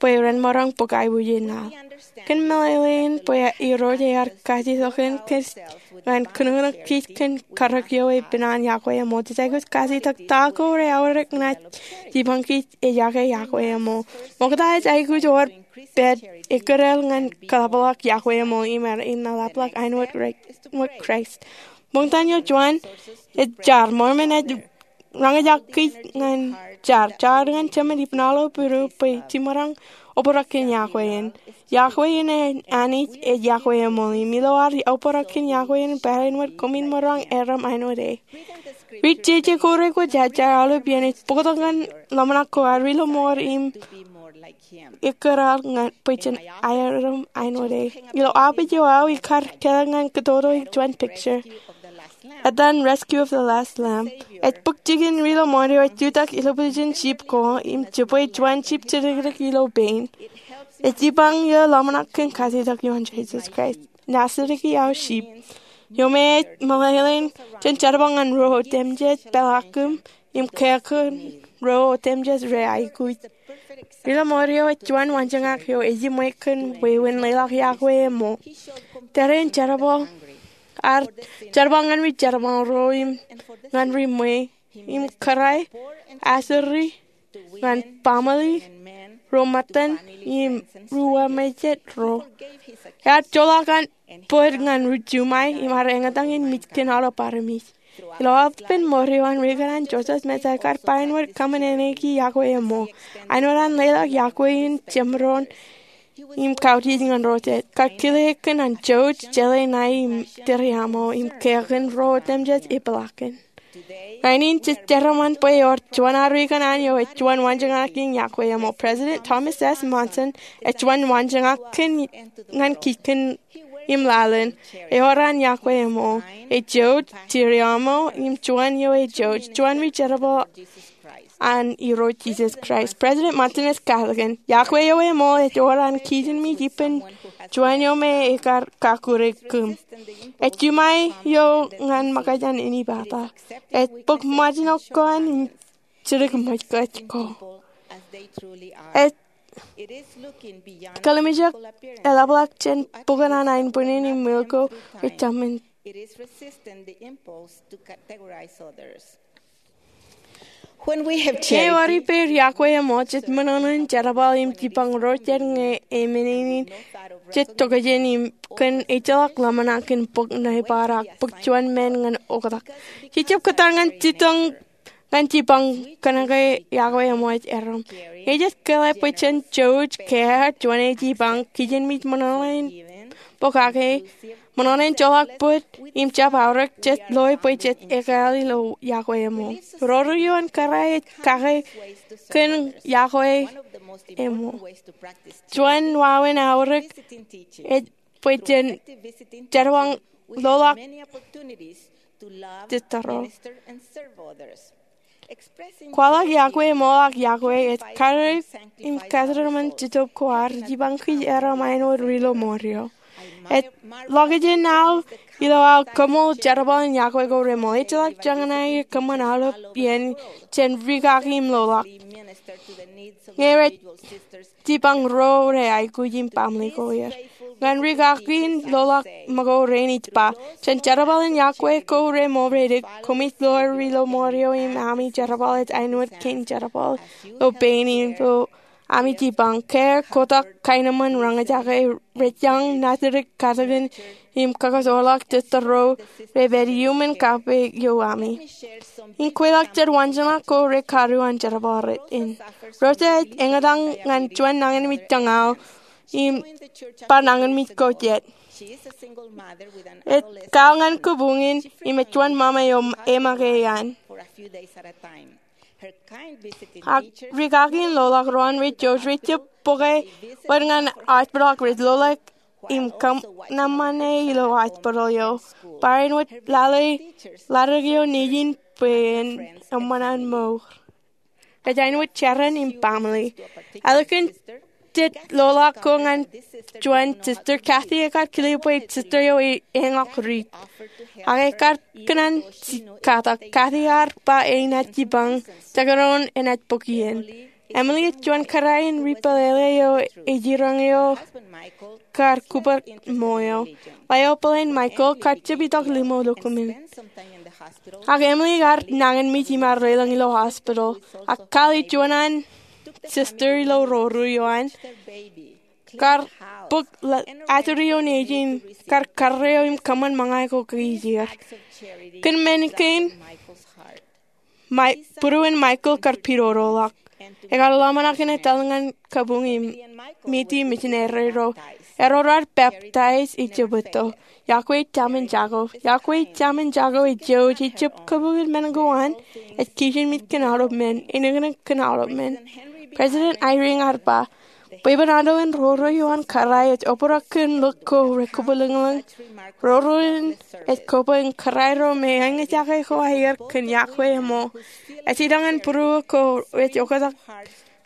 bwe ren maroñ bōk aiboojoj in laḷ. Kōn meḷeḷein bwe Irooj ear kajjitōk kōn kōnono kōj kōn karōk eo ej pād ñan iọkwe eṃool, jej aikuj kajjitōk ta ko reaorōk ñan jipañ kōj ejake iọkwe eṃool. Ṃokta ej aikuj ewōr pād ekkōtōl ñan kaḷapḷọk iọkwe eṃool im ear eḷapḷọk āinwōt Kraist. Ṃokta eo juon ej jar. Mormon ej roñjake kōj ñan jar, jar ñan jemān ippān aolep būruō bwe jemaroñ obrak kōn iọkwe in. Iọkwe in an Anij ej iọkwe eṃool. Im ilo ad obrak kōn iọkwe in barāinwōt, koṃwin maroñ erom āinwōt e. Ri-jeje ko rekwōjarjar aolep iien ej bōktok ñan ḷōmṇak ko ad ri-lọmọọr im ekkōtōl ñan bwe jen erom āinwōt e. Ilo aopeej eo aō ikar kāālōt ñan kōtōtō juon picture etan Rescue of the Last Lamb. Ej bōk jikin ri-lọmọọr eo ej jutak ilo position sheep ko im jibwe juon sheep jidikdik ilo pein. Ej jipañ ilo ḷōmṇak kōn kajjitōk ioon Jesus Christ. Naaj jidik iaḷ sheep. Eo me ej meḷeḷein jān jerbal ñan ro otemjej peḷaakim im kōkōn ro otemjej rej aikuj. Rilo mour eo ej juon waanjoñak eo ejiṃwe kōn wāween leḷọk iọkwe eo ṃool. Tōre in jerbal, ear jerbal ñan ri jerbal ro im ñan ri ṃwe, im kōrā, asuri ñan baaṃle ro ṃōttan im ri uwaṃōjej ro. Ear joḷọk an bōd ñan ri juṃae im ear eñtaan in mej kōn aolep armej. Ilo aolepān mour eo an, Riik eo an Joseph Smith ekar ba āinwōt kōṃṃan eñin iọkwe eo ṃool. Āinwōt an leḷọk iọkwe in jemdoon im kautiej ñan ro jet, kar kile kōn an jouj, jeḷā ṇae im tūriaṃo im kōkōn ro otemjej epeḷaakin. Rainin jej dedeṃṃan bwe ewōr juon armej eo ej juon waanjoñak in iọkwe eo ṃool. President Thomas S. Monson ej juon waanjoñak kōn ñan kij kōn im lalen. Ewōr an iọkwe eo ṃool. Ej jouj, tūriaṃo im juon eo ej jouj, juon ri jerbal an Irooj Jisōs Kraist. President Monson ej katakin, iọkwe eo ṃool ej wōr an kijinmej ippān juon eo me ekar kakkure kōm. Ej juṃae eo ñan ṃōkaj an inepata. Ej bōk ṃōjṇọ ko an jidik ṃōj kōj ko. Ej kōḷmānjeḷ eḷapḷọk jān bukun an aenbwinnin im wūl ko rej tōmōn. Ñe ewōr ippāer iọkwe eo ṃool, jej ṃōṇōṇō in jerbal im jipañ ro jet ñe eṃṃan in jej tokjān im kōn ejjeḷọk ḷōmṇak in bōk ṇe bar ak bōk juon men ñan oktak. Jej jab kōttar ñan jitōñ ñan jipañ kōnke iọkwe eo ṃool ej erom. Ñe jej kōḷḷā bwe jen jouj, kea, juon eo jipañ, kijinmej ṃōṇōṇō in pokake, ṃōṇōṇō in joḷọk bōd im jab aorōk, jej loe bwe jej ekāāl ilo iọkwe eo ṃool. Roro eo an kōrā ej kake kōn iọkwe eo ṃool. Juon wāween aorōk ej bwe jen jerbal ḷoḷọk jitōñ ro. Kwaḷọk iọkwe ṃool ak iọkwe ej karreoik im kōtōpar ṃōn Jetōb ko ad jipañ kōj aer ṃae āinwōt ri ilo mour eo. Ej ḷọkjeṇ aō ilo aō koṃṃool jerbal in iọkwe ko reṃool. Ejjeḷọk joñan aō kōṃṃan aolep iien jān rikaki im ḷoḷọk ñe rej jipañ ro rej aikuj im baaṃle ko er. Ñan rikaki in ḷoḷọk ṃōko rein ij ba, jān jerbal in iọkwe ko reṃool, rej dik, koṃij ḷoor ri ilo mour eo im ami jerbal ej āinwōt kein jerbal ilo pein in ro ami jipañ, kea, kotak, kaenōṃṃan, roñjake, rejjañ, natidik, katakin im kakasoḷọk jitōñ ro rej pād iuṃwin kappok ioami. Im kweilọk jān waanjoñak ko rej karuo an jerbal rein. Rosa ej eñtaan ñan juon nañinmej joñoul im bar nañinmej ko jet. Ej kōḷ ñan kabuñ in im ej juon ṃaṃa eo eṃōkaj an. Ak rikaki in ḷoḷọk ro an rej jouj rej jab bōke wōt ñan hospital ak rej ḷoḷọk im kōṃṃane ilo hospital eo. Bar āinwōt lale ḷaddik eo nejin bwe en eṃṃan an mour. Ej āinwōt jeran im baaṃle. Ālikin jet ḷoḷọk ko ñan juon sister, Kathy ekar kile bwe sister eo ej eñọk ri. Ak ekar kōṇaan katak. Kathy ear ba enaaj jipañ jekdọọn enaaj bōk iien. Emily ej juon kōrā in ri pālele eo ej jiroñ eo kar kūpar ṃool eo. Ḷeo bōlen Michael kar jab itok limo lukkuun. Ak Emily ear nañinmej im ear lelōñ ilo hospital. Ak kōḷ eo juon an sister ilo roro eo an kar bōk aturi eo nejin, kar karreo im kōṃṃan ṃōñā ko kōj er. Kōn men kein, būruon Michael kar pidodoḷọk. Ekar ḷōmṇak in etal ñan kabuñ im miti misineri ro. Erro raar peptaij ijjab etto. Iọkwe ej taṃin jako. Iọkwe ej taṃin jako ej jouj, ejjab kabukwi men ko an, ej kijinmej kōn aolep men, enōknōk kōn aolep men. President Eyring ear ba, bwebwenato in roro eo an kōrā ej obrak kōn lōñ ko rekabwilōñlōñ. Roro in ej kobwe in kōrā ro me eñjake ko aer kōn iọkwe eo ṃool. Ej itok ñan būruo ko rej oktak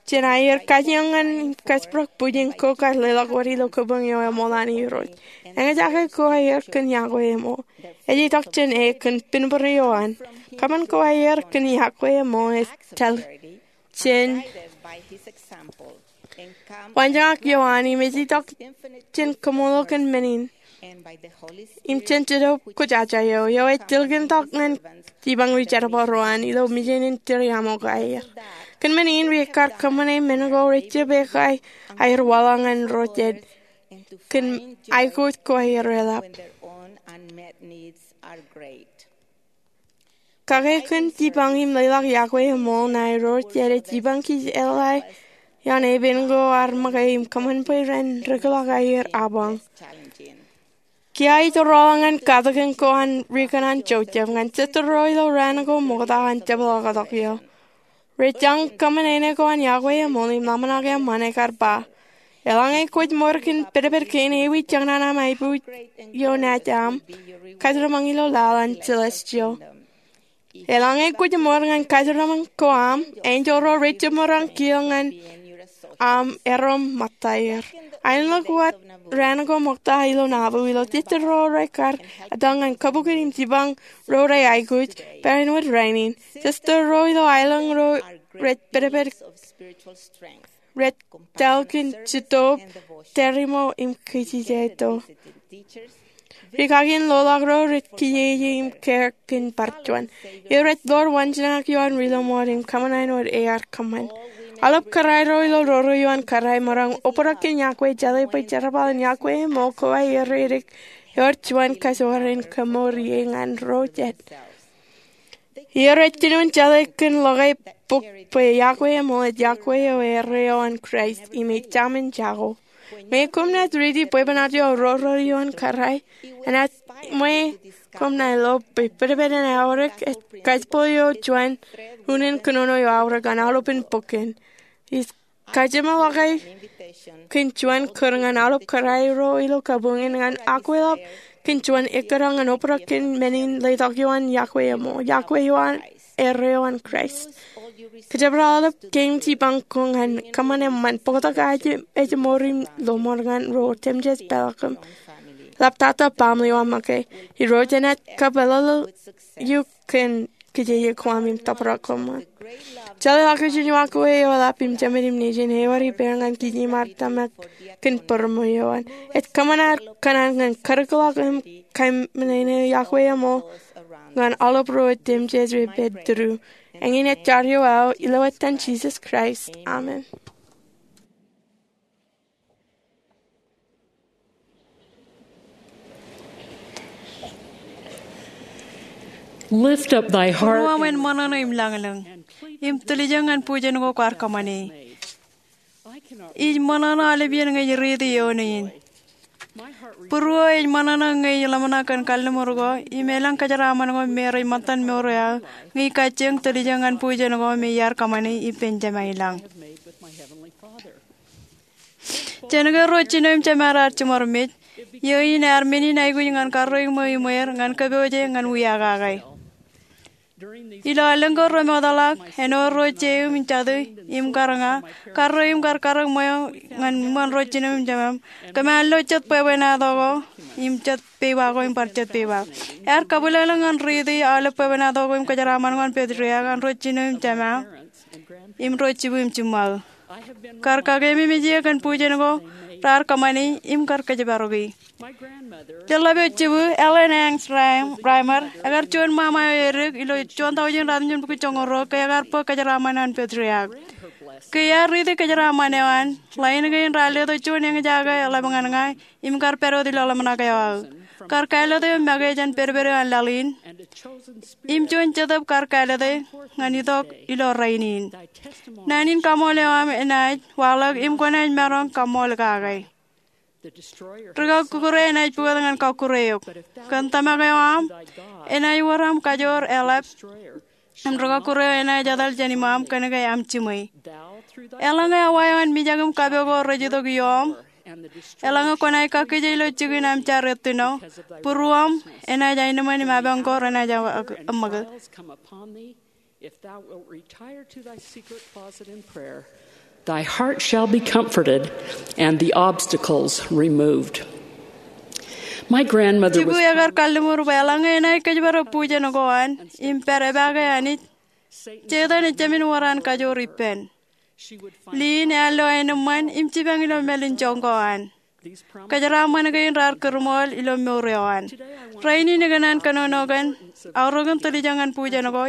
jān aier kajjioñ ñan kajjibōk bwijin ko kar leḷọk wōt ilo kabuñ eo eṃool an Irooj. Eñjake ko aier kōn iakwe eṃool. Ej itok jān e kōn pinbōro eo an. Kōṃṃan ko aier kōn iakwe eṃool ej tōl jān waanjoñak eo an im ej itok jān kaṃṃoolol kōn men in im jān Jetōb Kwōjarjar eo, eo ej tilkintok ñan jipañ ri jerbal ro an ilo mejān in tūriaṃo ko aier. Kōn men in, riikar kōṃṃane men ko rej jab ekkaḷ aer waḷọk ñan ro jet kōn aikuj ko aer eḷap. Kake kōn jipañ im leḷọk iakwe eṃool ṇae ro jet ej jipañ kōj eḷḷā ioon epen ko ar make im kōṃṃan bwe ren rūkḷọk aer apañ. Kiiō ij rọọl ñan katakin ko an ri kōṇaan Joseph ñan sister ro ilo raan ko ṃokta an jepḷaaktok eo. Rej jañ kōṃṃan āne ko an iakwe eṃool im ḷōmṇak eṃṃan ekar ba, eḷaññe kwōj ṃor kōn pedped kein ewi jeṇ an aṃ aiboojoj eo naaj aṃ kajeraaṃṃan ilo laḷ an celestial. Eḷaññe kwōj ṃor ñan kajeraaṃṃan ko aṃ, enjeḷ ro rej jab maroñ kiiō ñan aṃ erom ṃōttaer. Aenōḷọk wōt raan ko ṃokta ilo naḷu ilo sister ro rekar etal ñan kabukin im jipañ ro rej aikuj, barāinwōt rainin. Sister ro ilo aelōñ ro rej pedped rej tōl kōn Jetōb, tariṃo im kajjitōk. Ri kaki in loḷọk ro rej kijeje im kōn bar juon. Eo rej ḷoor waanjoñak eo an ri lọmọọr im kōṃṃan āinwōt ear kōṃṃan. Aolep kōrā ro ilo roro eo an kōrā emaroñ obrak kōn iakwe, jeḷā bwe jerbal in iakwe eṃool ko aier rej edik ewōr juon kajoor in kōmour ie ñan ro jet. Eo rej jinoin jeḷā kōn lọke bok bwe iakwe eṃool ej iakwe eo erreo an Kraist im ej jamin jako. Ñe koṃ naaj riiti bwebwenato eo roro eo an kōrā, enaaj ṃwe koṃ ṇae lo bwe pedped en aorōk ej kajjipḷaak eo juon unin kōnono eo aorōk an aolepen bok in. Ij kajeṃḷọke kōn juon kūr ñan aolep kōrā ro ilo kabuñ in ñan akweḷap kōn juon ekkōṇaan ñan obrak kōn men in letok ioon iakwe eṃool, iakwe eo an erreo an Kraist. Kōjparok aolep kein jipañ ko ñan kōṃṃan eṃṃan, bōktok aje ej ṃor im lọmọọr ñan ro otemjej peḷaakin ḷaptata baaṃle eo aṃ make. Irooj enaaj kapeḷḷọk eok kōn kijeje ko aṃ im tōprak koṃṃool. Jeḷā ḷọk ijin eo ak wōj eo eḷap im Jemān im Nejin ewōr ippān ñan kij im ad tōmak kōn būroṃōj eo an. Ej kōṃṃan ad kōṇaan ñan karōkḷọk im kōṃṃane iakwe eṃool ñan aolep ro otemjej rej pād tōre. Eñin ej jar eo aō ilo etan Jisōs Kraist, amen. Lift up thy heart. Būruōṃ en ṃōṇōṇō im lañlōñ, im tōl ijeṇ ñan bujen ko kwaar kōṃṃane. Ij ṃōṇōṇō aolepān ñe ij riiti eoon in. Būruō ej ṃōṇōṇō ñe ij ḷōmṇak kōn kalliṃur ko im elōñ kōjeraaṃṃan ko me rej ṃōttan mour eo aō, ñe ij kajjioñ tōl ijeṇ ñan bujen ko me iar kōṃṃane ippān Jemān ilañ. Jān ke ro jino im jemād ear jiṃor mej, iiō in ear men in aikuj ñan karreoik ṃweo iṃweer, ñan kōpooje, ñan wiakake. Ilo allōñ ko remootḷọk, āinwōt ro jeim im jatū im kar ña, karreo im kar karreoik ṃweo ñan iṃōn ro jinem im jemem, kōm ar lo jet bwebwenato ko im jet peiba ko im bar jet peiba. Ear kabwilōñlōñ ñan riiti aolep bwebwenato ko im kōjeraaṃṃan ko an patriarch, an ro jinem im jemem, im ro jibū im jiṃṃaō. Kar kakeememej eō kōn bujen ko raar kōṃṃane im kar kōjparoki. Jeḷḷap eo jibū, Ellen Hanks Reimer, ekar juon ṃaṃa eo edik ilo juon tọujin ratimjuonbukwi joñoul ruo ke ekar bōk kōjeraaṃṃan an patriarch. Ke iar riiti kōjeraaṃṃan eo an, ḷain kein raar letok juon eñjake eḷap ñan ña im kar pād wōt ilo ḷōmṇak eo aō. Kar kāālōt eo make jān pedped eo an laḷ in im juon jetōb kar kāālōt ñan itok ilo rainin. Naan in kaṃool eo aṃ enaaj waḷọk im kwōnaaj maroñ kaṃool kake. Ri-kọkkure enaaj pukot ñan kọkkure eok. Kōn tōmak eo aṃ, enaaj wōr aṃ kajoor eḷap im ri-kọkkure eo enaaj etal jān iṃaaṃ kōnke aṃ jiṃwe. Eḷaññe awa eo an mijak im kapo ko rej itok ioōṃ, eḷaññe kwōnaaj kakkije ilo jikin aṃ jar ettino, būruōṃ enaaj aenōṃṃan im apañ ko renaaj ṃōkūt. If thou wilt retire to thy secret closet in prayer, Thy heart shall be comforted, and the obstacles removed. My grandmother was Jibukwi ekar kalliṃur bwe eḷaññe enaaj kōjparok bujen ko an im pād epaake Anij, Setan ej jāmin wōr an kajoor ippān. Liin ear lo aenōṃṃan im jipañ ilo mālin joñak ko an. Kōjeraaṃṃan kein raar kūrṃool ilo mour eo an. Rainin ikōṇaan kōnono kōn aorōkin tiljek ñan bujen ko,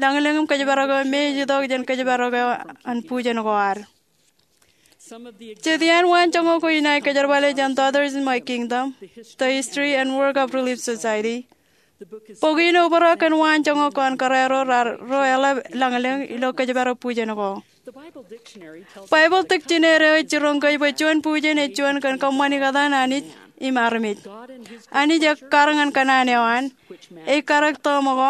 lañlōñ im kōjparok eo me ej itok jān kōjparok eo an bujen ko ad. Jet iaan waanjoñak ko inaaj kōjerbale jān Daughters in My Kingdom, The History and Work of Relief Society. Bok in obrak kōn waanjoñak ko an kōrā ro raar ro eḷap lañlōñ ilo kōjparok bujen ko. Baibōḷ dikjineri eo ej jiroñ kōj bwe juon bujen ej juon kōn kōṃṃani kōtaan Anij im armej. Anij ekkar ñan kōṇaan eo an, ej karōk tọọm ko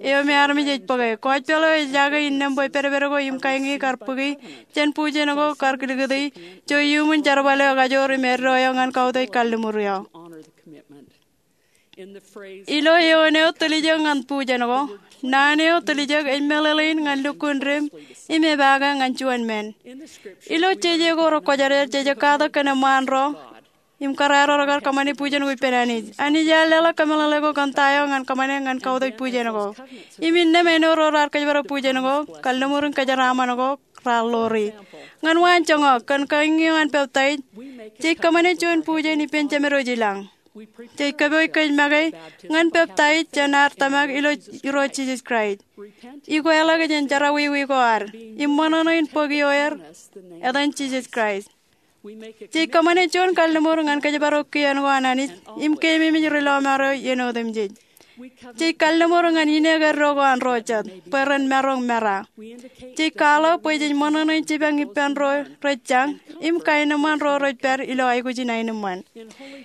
eo me armej ej bōke. Gospel eo ej jake innām bwe pedped ko im kañiñi kar bōki jān bujen ko kar likūti ijo iuṃwin jerbal eo ekajoor im eddo eo ñan kautiej kalliṃur eo. Ilo eoon eo tiljek ñan bujen ko, naan eo tiljek ej meḷeḷein ñan lukkuun dim im epaake ñan juon men. Ilo jeje ko rekwōjarjar jej katak kōn eṃṃaan ro im kōrā ro rekar kōṃṃani bujen ko ippān Anij. Anij ear leḷọk kōmeḷeḷe ko kōn ta eo ñan kōṃṃane ñan kautiej bujen ko. Im innām āinwōt ro raar kōjparok bujen ko, kalliṃur in kōjeraaṃṃan ko raar ḷoori. Ñan waanjoñak, kōn kañiñi eo an peptaij, jej kōṃṃane juon bujen ippān jemed wōj ilañ. Jej kōpooj kōj make ñan peptaij jān ad tōmak ilo Irooj Jisōs Kraist, ikweḷọk jān jerọwiwi ko ad, im ṃōṇōṇō in bōk ioer etan Jisōs Kraist. Jej kōṃṃane juon kalliṃur ñan kōjparok kien ko an Anij im keememej ri lọmọọr eo iien otemjej. Jej kalliṃur ñan ineek eddo ko an ro jet bwe ren maroñ mera. Jej kwaḷọk bwe jej ṃōṇōṇō in jipañ ippān ro rej jañ im kaenōṃṃan ro rej pād ilo aikuj in aenōṃṃan.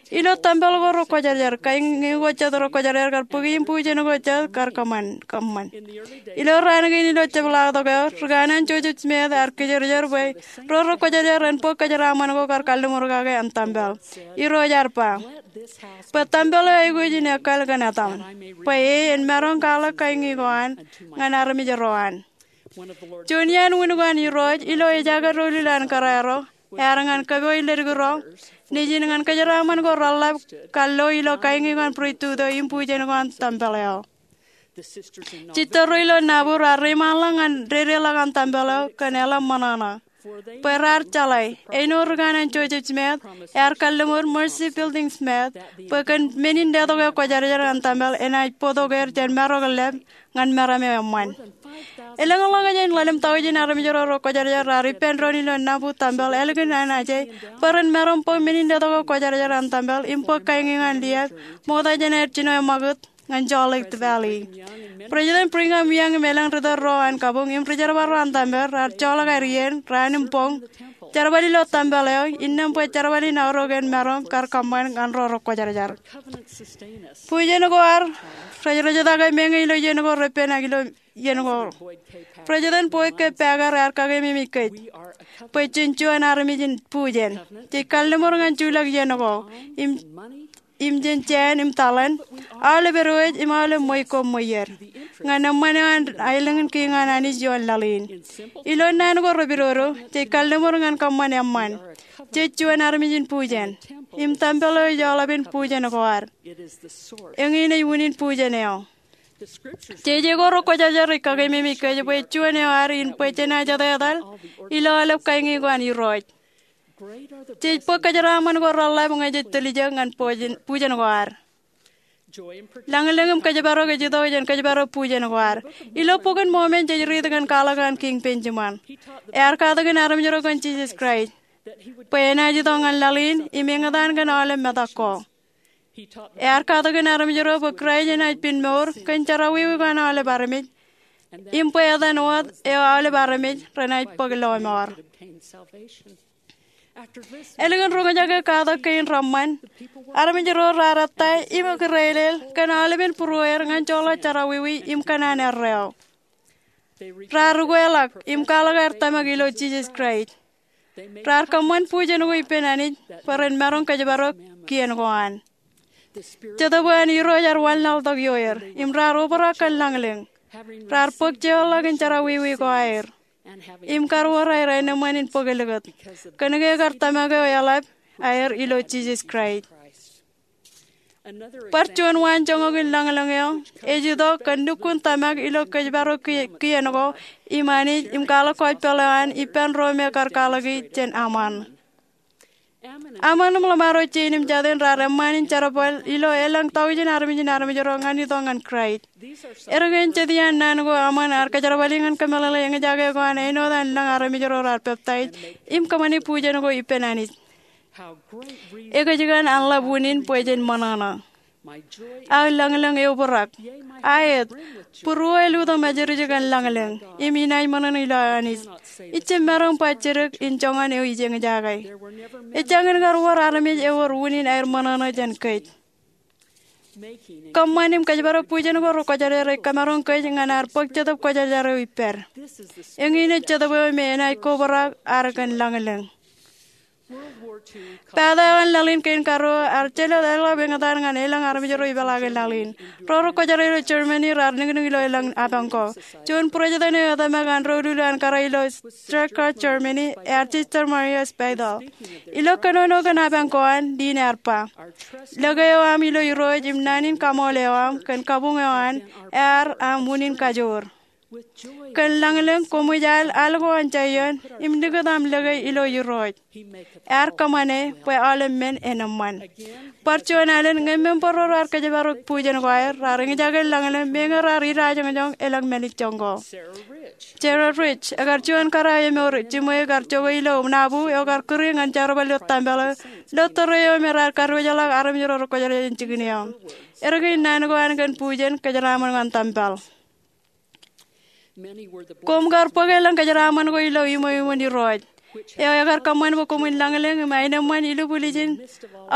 Ilo tempel ko rekwōjarjar, kañiñi ko jet rekwōjarjar kar bōki im bujen ko jet kar kōṃṃan, kōṃṃan. Ilo raan kein ilo jepḷaaktok eo, rikān an Joseph Smith ear kijerjer bwe ro rekwōjarjar ren bōk kōjeraaṃṃan ko kar kalliṃur kake an tempel. Irooj ear ba, bwe tempel eo aikuj in ekkal kōn etaṃ, bwe e en maroñ kwaḷọk kañiñi ko an ñan armej ro an. Juon iaan wūn ko an Irooj ilo ejake doulul an kōrā ro ear ñan kōpooj ledik ro nejin ñan kōjeraaṃṃan ko reḷḷap kallo ilo kañiñi ko an priesthood eo im bujen ko an tempel eo. Jistōr ro ilo Nauvoo raar reiṃaanḷọk ñan dedeḷọk an tempel eo kōn eḷap ṃōṇōṇō bwe raar jeḷā, āinwōt rikān an Joseph Smith ear kalliṃur Mercy Building Smith bwe kōn men in letok eo kwōjarjar an tempel enaaj bōktok er jān marok in lab ñan meram eo eṃṃan. Elōñḷọk jān ḷalem taujin armej ro rekwōjarjar raar ippān doon ilo Nauvoo tempel ālikin an aje bwe ren maroñ bōk men in letok eo kwōjarjar an tempel im bōk kañiñi ko an liaak ṃokta jān aer jino eṃṃakūt ñan Salt Lake Valley. President Brigham Young im elōñ ritōl ro an kabuñ im rijerbal ro an tempel raar joḷọk aer iien, raan im boñ, jerbal ilo tempel eo innām bwe jerbal in aorōk en maroñ kar kōṃṃan ñan ro rekwōjarjar. Bujen ko ad rej rejtake meñe ilo iien ko repen ak ilo iien ko. President Boyd K. Packer ear kakememej kōj bwe jen juon armej in bujen. Jej kalliṃur ñan juḷọk iien ko im im jān jāān im taḷen, aolep edwōj im aolep ṃweiuk ko ṃweier, ñan eṃṃan eo an aelōñ in kiiñ an Anij ioon laḷ in. Ilo naan ko repidodo, jej kalliṃur ñan kōṃṃan eṃṃan. Jej juon armej in bujen im tempel eo ej aolepen bujen ko ad. Eñin ej unin bujen eo. Jeje ko rekwōjarjar ej kakememej kōj bwe juon eo ad in bwe jenaaj etetal ilo aolep kañiñi ko an Irooj. Jej bōk kōjeraaṃṃan ko reḷḷap ñe jej tiljek ñan bujen, bujen ko ad. Lañlōñ im kōjparok ej itok jān kōjparok bujen ko ad. Ilo Bok in Mormon jej riit kōn kwaḷọk an Kiiñ Benjamin. Ear katakin armej ro kōn Jisōs Kraist bwe enaaj itok ñan laḷ in im eñtaan kōn aolep metak ko. Ear katakin armej ro bwe Kraist enaaj pen mour kōn jerọwiwi ko an aolep armej im bwe etan wōt eo aolep armej renaaj bōk lọmọọr. Ālikin roñjake katak kein reṃṃan, armej ro raar ettā im ekirelel kōn aolepen būrueer ñan joḷọk jerọwiwi im kōṇaan erreo. Raar ukweḷọk im kwaḷọk aer tōmak ilo Jisōs Kraist. Raar kōṃṃan bujen ko ippān Anij bwe ren maroñ kōjparok kien ko an. Jetōb eo an Irooj ear wanlaḷtak ioer im raar obrak kōn lañlōñ. Raar bōk jeorḷọk in jerọwiwi ko aer. im kar wōr aer aenōṃṃan in bōk likūt kōnke ekar tōmak eo eḷap aer ilo Jisōs Kraist. Bar juon waanjoñak in lañlōñ eo ej itok kōn lukkuun tōmak ilo kōjparok kien ko im Anij im kwaḷọk kwōj peḷḷọk an ippān ro me kar kwaḷọki jān aṃ an. Aṃ an im ḷōṃaro jein im jatin raar eṃṃaan in jerbal ilo elōñ taujin armej in armej ro ñan itok ñan Kraist. Erkein jet iaan naan ko aṃ an ear kōjerbali ñan kōmeḷeḷe eñjake ko an āinwōt an lōñ armej ro raar peptaij im kōṃṃani bujen ko ippān Anij. Ekōjkan an ḷap unin bwe jen ṃōṇōṇō. Aō lañlōñ eobrak. Aet, būruō āliktata ṃōjrij kōn lañlōñ im inaaj ṃōṇōṇō ilo Anij. Ij jab maroñ ba jidik in joñan eo ij eñjake. Ejjañin kar wōr armej ewōr unin aer ṃōṇōṇō jān kōj. Kōṃṃan im kōjparok bujen ko rekwōjarjar ej kamaroñ kōj ñan ad bōk Jetōb Kwōjarjar eo ippād. Eñin ej Jetōb eo me enaaj kobrak ad kōn lañlōñ. Bata eo an laḷ in kein karuo ear jelōt eḷap eñtaan ñan elōñ armej ro ipeḷaakin laḷ in. Ro rekwōjarjar ilo Germany raar niknik ilo elōñ apañ ko. Juon būrejtōn eo etōmak an doulul an kōrā ilo Stuttgart, Germany, ear Sister Maria Speidel. Ilo kōnono kōn apañ ko an, Lynn ear ba, lōke eo aṃ ilo Irooj im naan in kaṃool eo aṃ kōn kabuñ eo an ear aṃ unin kajoor. Kōn lañlōñ koṃij al al ko an Jaion im likūt aṃ lōke ilo Irooj. Ear kōṃṃane bwe aolep men en eṃṃan. Bar juon alen ñe member ro raar kōjparok bujen ko aer raar eñjake lañlōñ meñe raar idajoñjoñ elōñ mālejjoñ ko. Sarah Rich ekar juon kōrā eo emour jiṃwe kar jokwe ilo nabu eo kar kūri ñan jerbal ilo tempel eo ilo tōre eo me raar kadiwōjḷọk armej ro rekwōjarjar jān jikin eo. Erkein naan ko an kōn bujen kōjeraaṃṃan ñan tempel. Koṃ kar bōk elōñ kōjeraaṃṃan ko ilo iṃweo iṃōn Irooj eo ekar kōṃṃan bwe koṃwin lañlōñ im aenōṃṃan ilubwiljin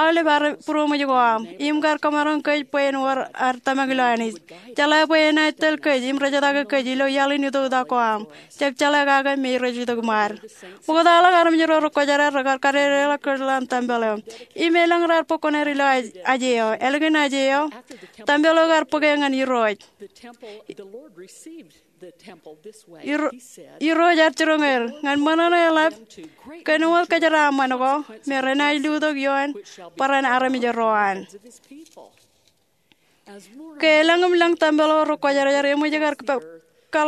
aolep būroṃōj ko aṃ im kar kōmaroñ kōj bwe en wōr ad tōmak ilo Anij. Jeḷā bwe enaaj tōl kōj im rejtake kōj ilo iaḷ in itoktak ko aṃ. Jab jeḷā kake me rej itok iṃaad. Ṃoktaḷọk armej ro rekwōjarjar rekar kadedeḷọk kōj ḷọk an tempel eo im elōñ raar bōk kuṇaer ilo aje eo. Ālikin aje eo, tempel eo kar bōke ñan Irooj. Irooj ear jiroñ er ñan ṃōṇōṇō eḷap kōn wōt kōjeraaṃṃan ko me renaaj lutōk ioon barāinwōt armej ro an. Ke elōñ im lōñ tempel eo rekwōjarjar eṃōj kar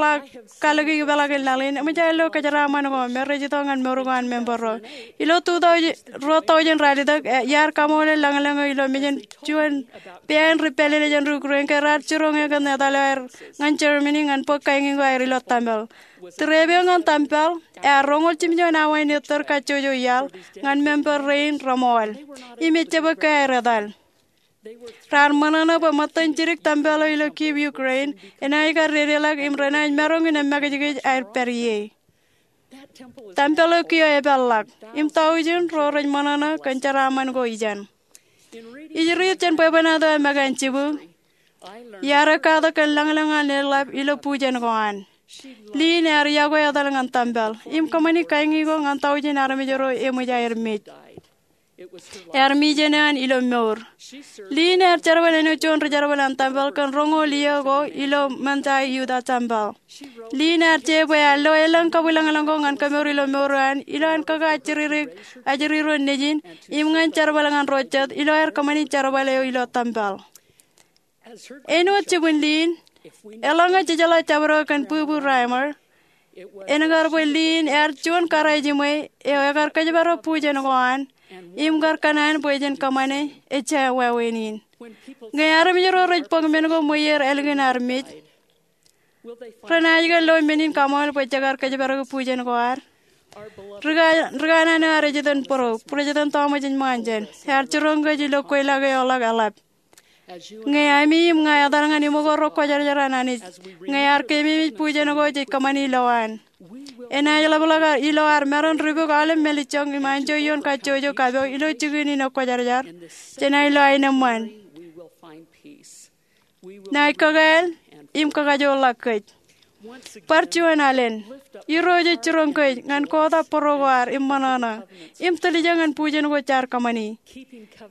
kalōk ipeḷaakin laḷ in, eṃōj aer lo kōjeraaṃṃan ko me rej itok ñan mour ko an member ro. Ilo two thousand, ruo thousand raar itok, iar kaṃoole lañlōñ eo ilo mejān juon peain ri pālele jān ri Ukraine ke raar jiroñ e kōn etal eo aer ñan Germany ñan bōk kañin ko aer ilo tempel. Tūreep eo ñan tempel ear roñoul jimjuon awa in ettōr kajjojo iaḷ ñan member rein reṃool im ejjab ke aer etal. Raar ṃōṇōṇō bwe ṃōttan jidik tempel eo ilo Kyiv, Ukraine enaaj kar dedeḷọk im renaaj maroñ in emakijkij aer pād ie. Tempel eo kiiō epeḷḷọk im taujin ro rej ṃōṇōṇō kōn jeraaṃṃan ko ijeṇ. Ij riit jān bwebwenato eo make an jibū, iar ekkatak kōn lañlōñ an eḷap ilo bujen ko an. Lynn ear iọkwe etal ñan tempel im kōṃṃani kañin ko ñan taujin armej ro eṃōj aer mej. Ear mijen eoon ilo mour. Lynn ear jerbal āinwōt juon ri jerbal an tempel kōn roñoul iiō ko ilo Manti, Utah tempel. Lynn ear je bwe ear lo elōñ kabwilañlañ ko ñan kemour ilo mour eo an ilo an kōkaajjiridik ajri ro nejin im ñan jerbal ñan ro jet ilo aer kōṃṃani jerbal eo ilo tempel. Āinwōt jibwin Lynn, eḷaññe jejeḷā jabdewōt kōn bwibwi Reimer, en kar bwe Lynn ear juon kōrā jiṃwe eo ekar kōjparok bujen ko an im kar kōṇaan bwe jen kōṃṃane ejja wāween in. Ñe armej ro rej bōk men ko ṃweier ālikin ad mej, renaaj ke lo men in kaṃool bwe jekar kōjparok bujen ko ad? Ri kanaan eo ad ej itōn bōro, Bwūrejtōn Tọọmaš Monson, ear jiroñ kōj ilo kweilọk eo ḷọk eḷap. Ñe ami im ña etal ñan iṃōko ro kwōjarjar an Anij, ñe ear keememej bujen ko jej kōṃṃani lowaan, enaaj ḷapḷọk ilo ad maroñ ri bōk aolep mālejjoñ im anjọ ioon kajjojo kapo ilo jikin in kwōjarjar. Jenaaj lo aenōṃṃan. Naaj kakāāl im kakajoorḷọk kōj. Bar juon alen, Irooj ej jiroñ kōj ñan kotak bōro ko ad im ṃōṇōṇō im tiljek ñan bujen ko jaar kōṃṃani.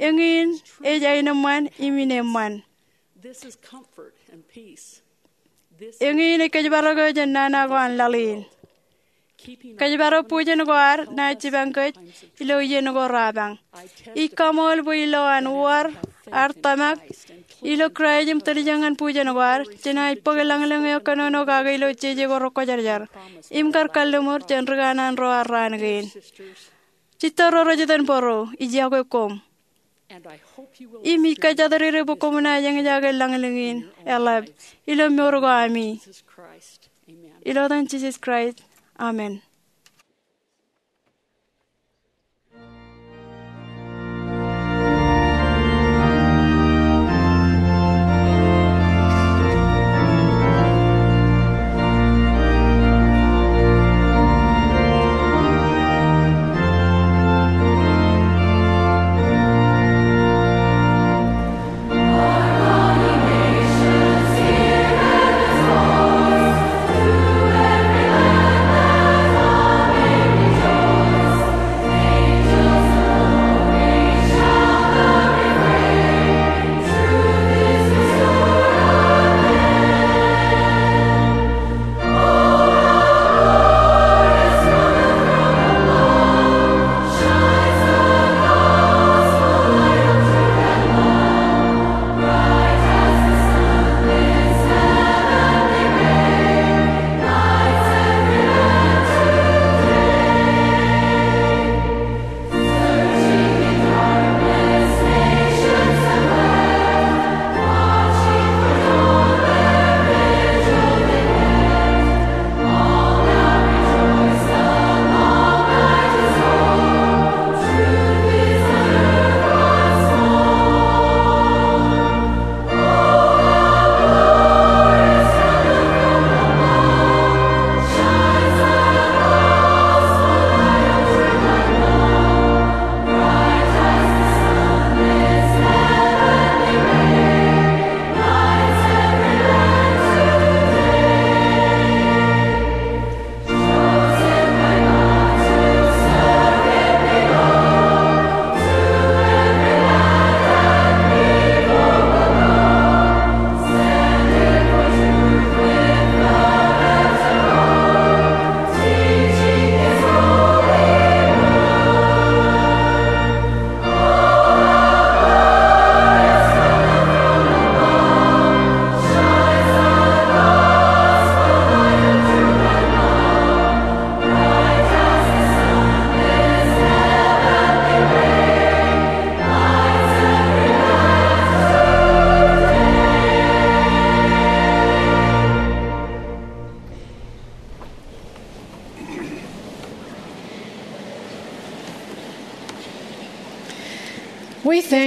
Eñin ej aenōṃṃan im ineeṃṃan. Eñin ej kōjparok eo jān nana ko an laḷ in. Kōjparok bujen ko ad naaj jipañ kōj ilo iien ko rapañ. Ij kaṃool bwe ilo an wōr ad tōmak ilo Kraist im tiljek ñan bujen ko ad, jenaaj bōk lañlōñ eo kōnono kake ilo jeje ko rekwōjarjar im kar kalliṃur jān ri kanaan ro ad raan kein. Jistōr ro rej itōn bōro, ij iọkwe koṃ. Im ij kōjatdikdik bwe koṃ naaj eñjake lañlōñ in eḷap ilo mour ko ami. Ilo etan Jisōs Kraist, amen.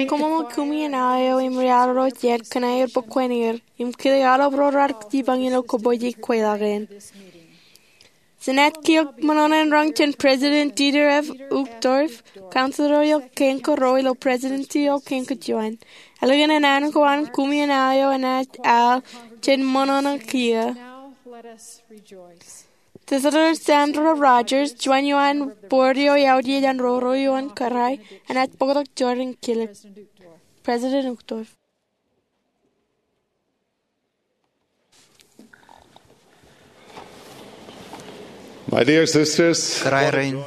Koṃṃool kumi in aō eo im ri-arro jet kōn aer bōk kwener im kile aolep ro raar jipañ ilo kōpooj kweilọk in. Jenaaj kiiō ṃōṇōṇō in roñ jān President Dieter F. Uchtdorf, Counselor eo kein kōrā ilo Presidency eo kein kōjuon. Ālikin an ko an, kumi in aō eo enaaj al jān ṃōṇōṇō kiiō. Sister Sandra Rogers, juon eo an board eo eaotiej an roro ioon kōrā, enaaj bōktok jorrāān in kilōk. President Uchtdorf. My dear sisters, kōrā rein,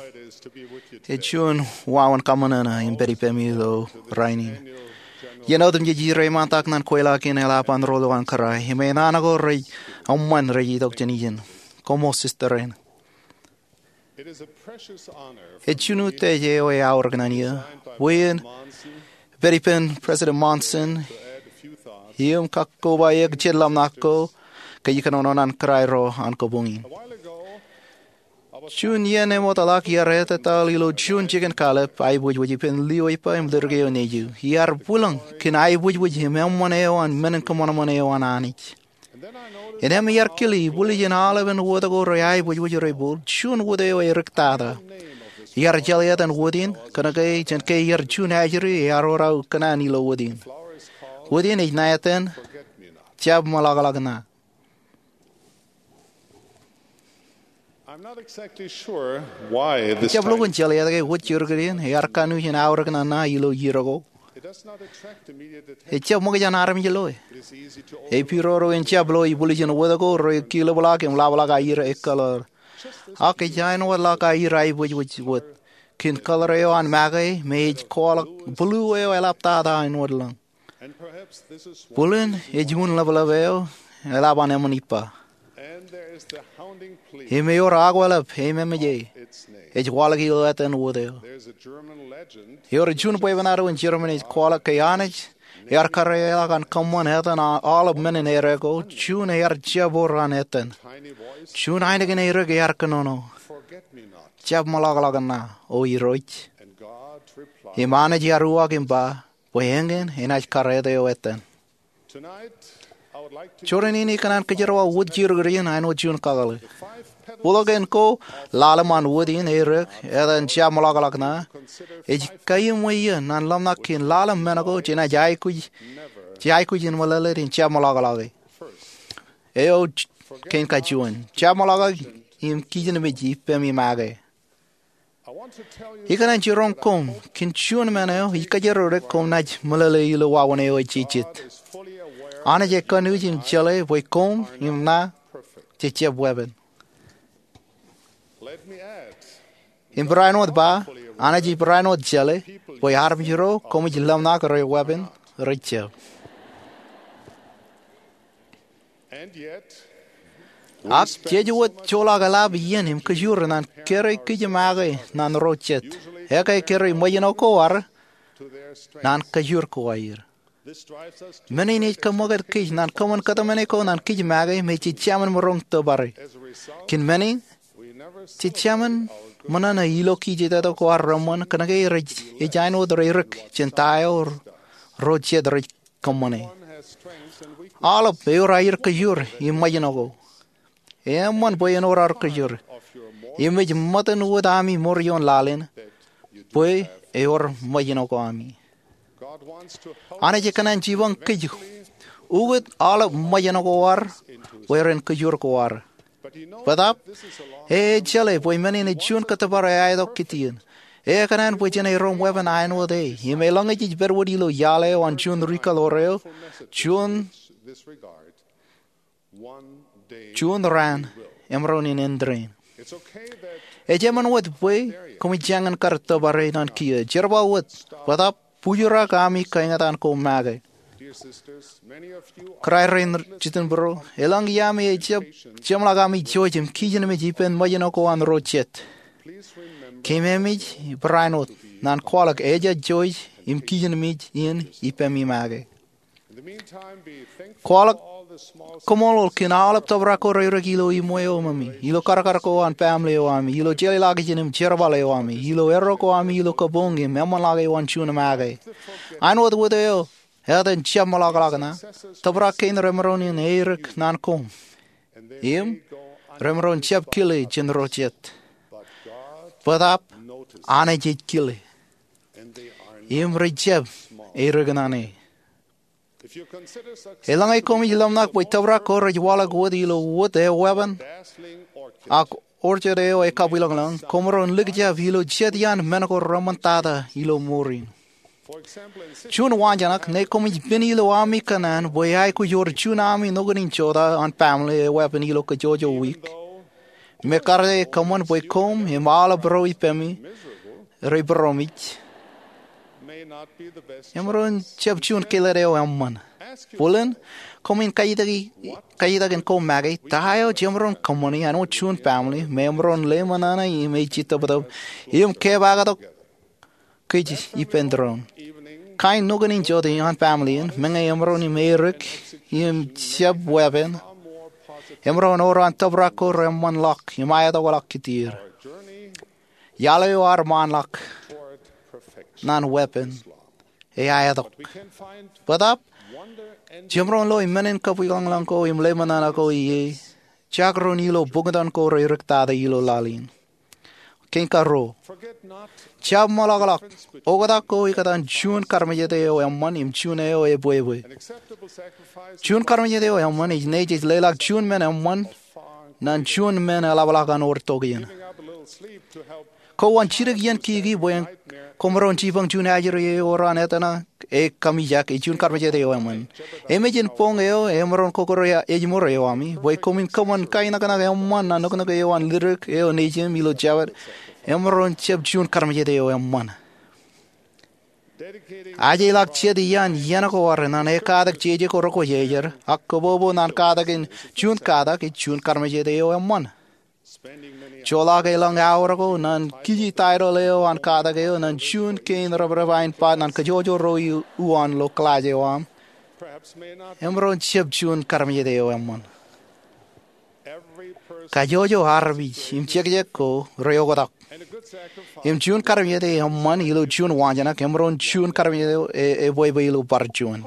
ej juon wāween kaṃōṇōṇō in pād ippemi ilo rainin. Iien otemjej ij reiṃaantak ñan kweilọk in eḷap an ro ilo an kōrā im enana ko rej eṃṃan rej itok jān ijin. Koṃṃool sister rein. Ej juon utiej eo eaorōk ñan eō bwe in pād ippān President Monson im kakkobaik jān lōmṇak ko kōj kōnono ñan kōrā ro an kabuñ in. Juon iien eṃootḷọk iar etetal ilo juon jikin kallib aiboojoj ippān lio ippa im ḷidik eo nejū. Iar bwilōñ kōn aiboojoj im eṃṃan eo an men in kōṃanṃan eo an Anij. Innām iar kile ibwiljin aolepān wōt ko rej aiboojoj rej bōl juon wōt eo eriktata. Iar jeḷā etan wōt in kōnke jān ke iar juon ajri ear orau kōṇaan ilo wōt in. Wōt in ej ṇa etan Jab Meḷọkḷọk Ṇa. I'm not exactly sure why this. Ij jab lukkuun jeḷā ke wōt jurkit in ear kanooj in aorōk ṇa ṇa ilo iiō ko. It does not attract immediate attention. Ejjab ṃōk jān armej loe. It is easy to overlook. Epiroro in jab lo ibwiljin wōt ko rej kilōbḷọk im ḷapḷọk aier ekkōḷḷọk. Ak ej āinwōt ḷọk aer aibwijbwij wōt. Kōn kōḷar eo an make me ej kwaḷọk blue eo eḷaptata āinwōt lōñ. Bōlen ej un ḷapḷap eo eḷap an emān ippa. Im ewōr akwālep ememeje ej waḷọk ilo etan wōt eo. Ewōr juon bwebwenato in Jermany ej kwaḷọk ke Anij ear kariaḷọk an kōṃṃan etan aolep men in errā ko, juon ear jab wōr an etan. Juon ainikien errā ear kōnono, "Jab ṃōḷaḷḷọk ṇa, O Irooj." Im Anij ear uwaak im ba bwe eñin enaaj kar etan eo etan. Juon rainin ikōṇaan kōjerawa wōt jidik in āinwōt juon kakōḷḷe. Bōlen ko ḷalem an wōt in errā etan "Jab ṃōḷaḷḷọk ṇa" ej kaiṃwe iien an ḷōmṇak kōn ḷalem men ko jenaaj aikuj, jej aikuj in meḷeḷein jab ṃōḷaḷḷọk e. Eo kein kajuon, jab ṃōḷaḷḷọk im kijenmej ippemi make. Ikōṇaan jiroñ koṃ kōn juon men eo ij kōjro dik koṃ naaj meḷeḷe ilo wāween eo ej jijet. Anij ekanooj im jeḷā bwe koṃ im ṇa jej jab weeppān. Im barāinwōt ba, Anij ej barāinwōt jeḷā bwe armej ro koṃij ḷōmṇak reweeppān rej jab. Ak jej wōt joḷọk eḷap iien im kōjur naan kōrā kij make naan ro jet, ekkā kōrā ṃōjṇọ ko ad naan kōjur ko aer. Men in ej kōṃṃakūt kōj naan kōṃṃan kōtmāne ko naan kij make me jej jemān maroñ tōpare. Kōn men in, jej jemān ṃōṇōṇō ilo kij jet ko ad reṃṃan kōnke rej, ej āinwōt reirik jān ta eo ro jet rej kōṃṃane. Aolep ewōr aer kōjur im ṃōjṇọ ko. Eṃṃan bwe ewōr aer kōjur. Im ej ṃōttan wōt ami mour ioon laḷ in bwe ewōr ṃōjṇọ ko ami. Anij ekōṇaan jipañ kōj ukōt aolep ṃōjṇọ ko ad bwe ren kōjur ko ad. Bōtaab, e ej jeḷā bwe men in ej juon kōttōpar eaetok kōtien. E ekōṇaan bwe jen erom weeppān āinwōt e, im eḷaññe jej pād wōt ilo iaḷ eo an juon ri kaḷoor eo, juon, juon raan emaroñ in āindein. Ej eṃṃan wōt bwe koṃij jañin kar tōpare naan kiiō. Jerbal wōt, bōtaab bujrak ami kaeñtaan ko make. Kōrā rein jitin būruō, eḷaññe ami ejab jeṃḷọk ami jouj im kijenmej ippān ṃōjṇọ ko an ro jet, keememej barāinwōt naan kwaḷọk ejja jouj im kijenmej in ippemi make. Kwaḷọk koṃṃool kōn aolep tōprak ko reirik ilo iṃwe eo ṃōmi, ilo karkar ko an family eo ami, ilo jeḷāḷọkjeṇ im jerbal eo ami, ilo erro ko ami ilo kabuñ im eṃṃanḷọk eo an juon make. Āinwōt wōt eo etan jab ṃōḷaḷḷọk ṇa, tōprak kein remaroñ in eirik naan koṃ, im remaroñ jab kile jān ro jet. Bōtaab Anij ej kile, im rej jab eirik naan e. Eḷaññe koṃij ḷōmṇak bwe tōprak ko rej waḷọk wōt ilo wōt eo weeppān ak orchard eo ekabwilōñlōñ, koṃ maroñ likjab ilo jet iaan men ko reṃōn tata ilo mour in. Juon waanjoñak, ñe koṃij pen ilo ami kōṇaan bwe eaikuj ewōr juon ami nukun in jota an family eweeppān ilo kōjjojo wiik, im ekkar e kōṃṃan bwe koṃ im aolep ro ippemi rej būroṃōj, emaroñ jab juon kōlōt eo eṃṃan. Bōlen, koṃwin kajetakjin koṃ make, ta eo jemaroñ kōṃṃani āinwōt juon family me emaroñ leṃōṇōṇō im ej jitōptōp im kepaaktok kōj ippān doon. Kain nukun in jota an family in, meñe emaroñ in eirik im jab weeppān, emaroñ ewōr an tōprak ko reṃṃanḷọk im aetokḷọk kōtier. Iaḷ eo ad ṃaanḷọk naan weeppān eaetok. Bōtaab, jemaroñ lo men in kabwilōñlōñ ko im leṃōṇōṇō ko ie jagroñ ilo buktan ko reirik tata ilo laḷ in. Kein karuo, jab ṃōḷaḷḷọk oktak ko ikōtaan juon karmejete eo eṃṃan im juon eo ebwebwe. Juon karmejete eo eṃṃan ej ṇe jej leḷọk juon men eṃṃan naan juon men eḷapḷọk an wōr tokien. Kwōn jidik iien kiki bwe kwōmaroñ jipañ juon ajri eo ewōr an etana e kamijak, ej juon karmejāde eo eṃṃan. Emān in boñ eo emaroñ kōkōrā ājmour eo ami bwe koṃwin kōṃṃan kainaknak eṃṃan ñan nuknuk eo an ledik eo nejūṃ ilo jabōt, emaroñ jab juon karmejāde eo eṃṃan. Ajeḷọk jet iaan iien ko ad ñan ekatak jeje ko rekwōjarjar ak kōbobo ñan katakin juon katak ej juon karmejāde eo eṃṃan. Joḷọk elōñ aor ko ñan kiji taitōḷ eo an katak eo ñan juon kein reprep ain bat ñan kōjwōjwō ro uwaan ilo klass eo aṃ emaroñ jab juon karmejāde eo eṃṃan. Kajjojo armej im jekjek ko reoktak, im juon karmejāde eṃṃan ilo juon waanjoñak emaroñ juon karmejāde eo ebwebwe ilo bar juon.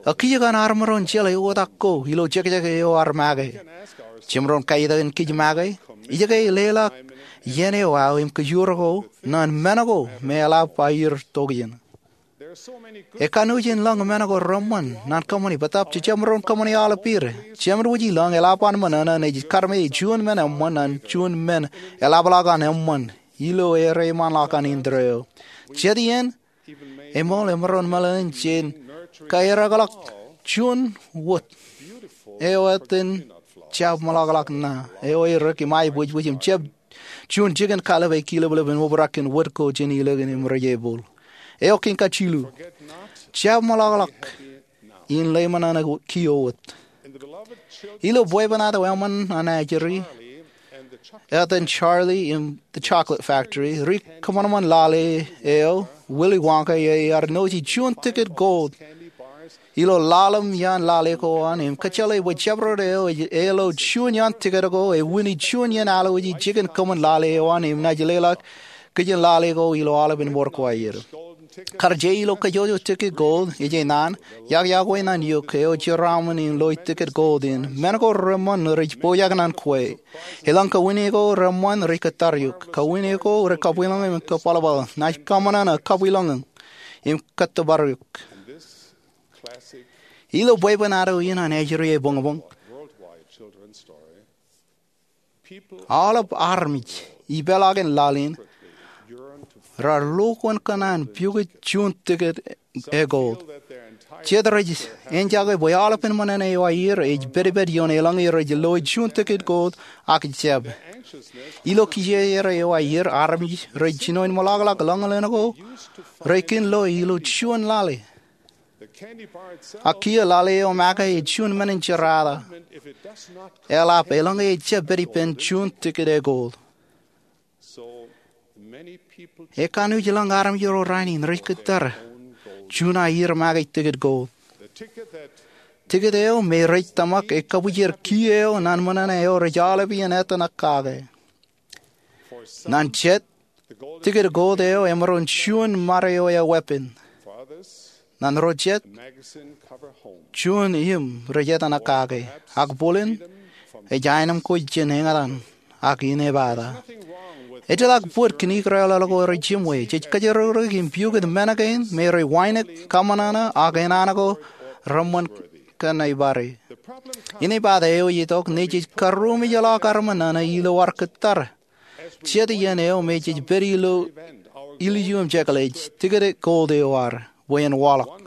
Ak kiiō kaṇ ad maroñ jeḷā oktak ko ilo jekjek eo ad make? Jemaroñ kaitōk in kōj make, ijoko leḷọk iien eo aō im kōjwōr ko ñan men ko me eḷap aer tok iien? Ekanooj in lōñ men ko reṃṃan ñan kōṃṃani bōtōb jejjab maroñ kōṃṃani aolep er. Jemān wōj ilọñ eḷap an ṃōṇōṇō ej karmejāje juon men eṃṃan ñan juon men eḷapḷọk an eṃṃan ilo ereṃanḷọk an indeeo. Jet iien eṃool emaroñ meḷeḷein jān kaerakḷọk juon wōt eo etan jab ṃōḷaḷḷọk ṇa eo erik im aebwijbwij im jab juon jikin kallib ej kileplep im obrak kōn wōt ko jān ilikin im rej ebōl. Eo kein kajilu, jab ṃōḷaḷḷọk in lale ṃōṇōṇō kiiō wōt. Ilo bwebwenato eṃṃan an ajri etan Charlie and the Chocolate Factory, ri kōṃanṃan lale eo Willy Wonka ear nōōji juon tikid gold ilo ḷalem iaan lale ko an im kōjjeḷā bwe jabdewōt eo ej lo juon iaan tikid ko ej wūni juon iien alwōji jikin kōṃṃan lale eo an im naaj leḷọk kijen lale ko ilo aolepān mour ko aer. Kar je ilo kajjojo tikid gold ej naan, iọkiọkwe ñan eok eo jeraaṃṃan in loi tikid gold in, men ko reṃṃan rej pojak ñan kwe. Elōñ kawini ko reṃṃan rej kōttar eok. Kawini ko rej kabwilōñḷọk im kōbwalbwal. Naaj kōṃanṃan ak kabwilōñḷọk im kōttōpar eok. Ilo bwebwenato in an ajri ebōñbōñ, aolep armej ipeḷaakin laḷ in raar lo kōn kōṇaan piukwe juon tikid e gold. Jet rej enjake bwe aolepān ṃōṇōṇō eo aer ej pedped ioon elōñ er rej loi juon tikid gold ak jab. Ilo kijejer eo aer armej rej jinoin ṃōḷaḷḷọk lōñlōñ ko rej kōn lo ilo juon lale. Ak kiiō lale eo make ej juon men in jerata. Eḷap elōñ e ejjab pād ippān juon tikid e gold. Ekanooj lōñ armej ro rainin rej kōttar juon aer make tikid gold. Tikid eo me rej tōmak ekabwijer kiiō eo ñan ṃōṇōṇō eo rej aolep iien etan ak kake. Ñan jet, tikid gold eo emaroñ juon ṃade eo eweeppān. Ñan ro jet, juon im rej etan ak kake. Ak bōlen, ej aenōṃ ko jān eñtaan ak inepata. Ejjeḷọk bōd kōn ikrelel ko rej jiṃwe. Jej kōjrōkrōk im piukwe men kein me rej wānōk, kōṃanṃan ak enana ko reṃṃan kōn aer pād. Inepata eo ej itok ñe jej karrūmejḷọk ad ṃōṇōṇō ilo ad kōttar jet iien eo me jej pād ilo ilju im jekḷaj tikid gold eo ad bwe en waḷọk.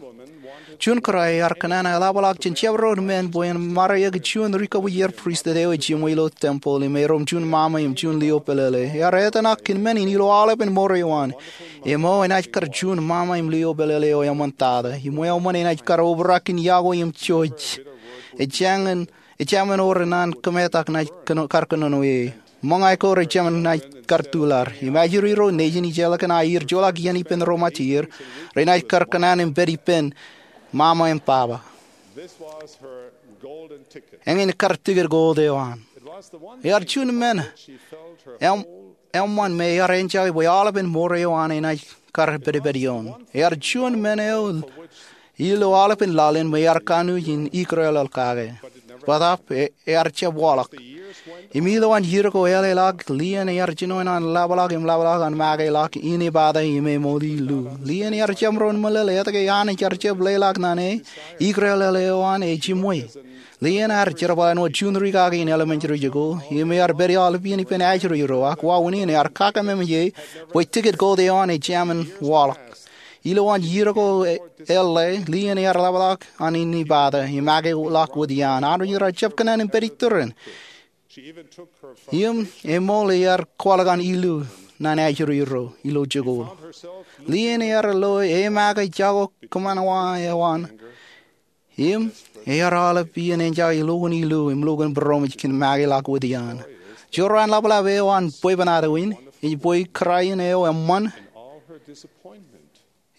Juon kōrā ear kōṇaan eḷapḷọk jān jabdewōt men bwe en maroñ juon ri kabwijer pristut eo ej jiṃwe ilo tempeḷ im erom juon ṃaṃa im juon lio pālele. Ear etan ak kōn men in ilo aolepān mour eo an. Im enaaj kar juon ṃaṃa im lio pālele eo eṃṃantata im eṃṃan enaaj kar obrak kōn iọkwe im jouj. Ejāmin ewōr naan kōmetak naaj kar kōnono e. Ṃōñā ko rej jemān naaj kar tuḷar. Im ajri ro nejin ijellọkin aer joḷọk iien ippān ro ṃōtier, renaaj kar kōṇaan im pād ippān ṃaṃa im baba. Eñin kar tikid gold eo an. Ear juon men eṃṃan me ear enjoy bwe aolepān mour eo an enaaj kar pedped ioon. Ear juon men eo ilo aolepān laḷ in me ear kanooj in ikrelel kake. Bōtaab ear jab waḷọk. Im ilowaan iiō ko eḷḷāḷọk, lien ear jino an laplap im laplap an make ḷọk inepata im eṃool ilo. Lien ear jab ro meḷeḷe etke Anij ear jab leḷọk ñan e ikrelel eo an e jiṃwe. Lien ear jerbal āinwōt juon ri kaki in elementary school im ear pād aolepān ippān ajri ro ak wāween in ear kōmeḷeḷe bwe tikid gold eo an ejāmin waḷọk. Ilowaan iiō ko eḷḷā, Lien ear ḷapḷọk an inepata im akeḷọk wōt iaan. Armej ro rej jab kōṇaan im pād iturūṃ. Im eṃool ear kwaḷọk an ilu ñan ajri ro ilo jikuuḷ. Lien ear lo eṃake jako kōṃanṃan eo an, im ear aolep iien enjake lukkuun ilu im lukkuun būroṃōj kōn makeḷọk wōt iaan. Jorrāān ḷapḷap eo an bwebwenato in ej bwe kōrā in eo eṃṃan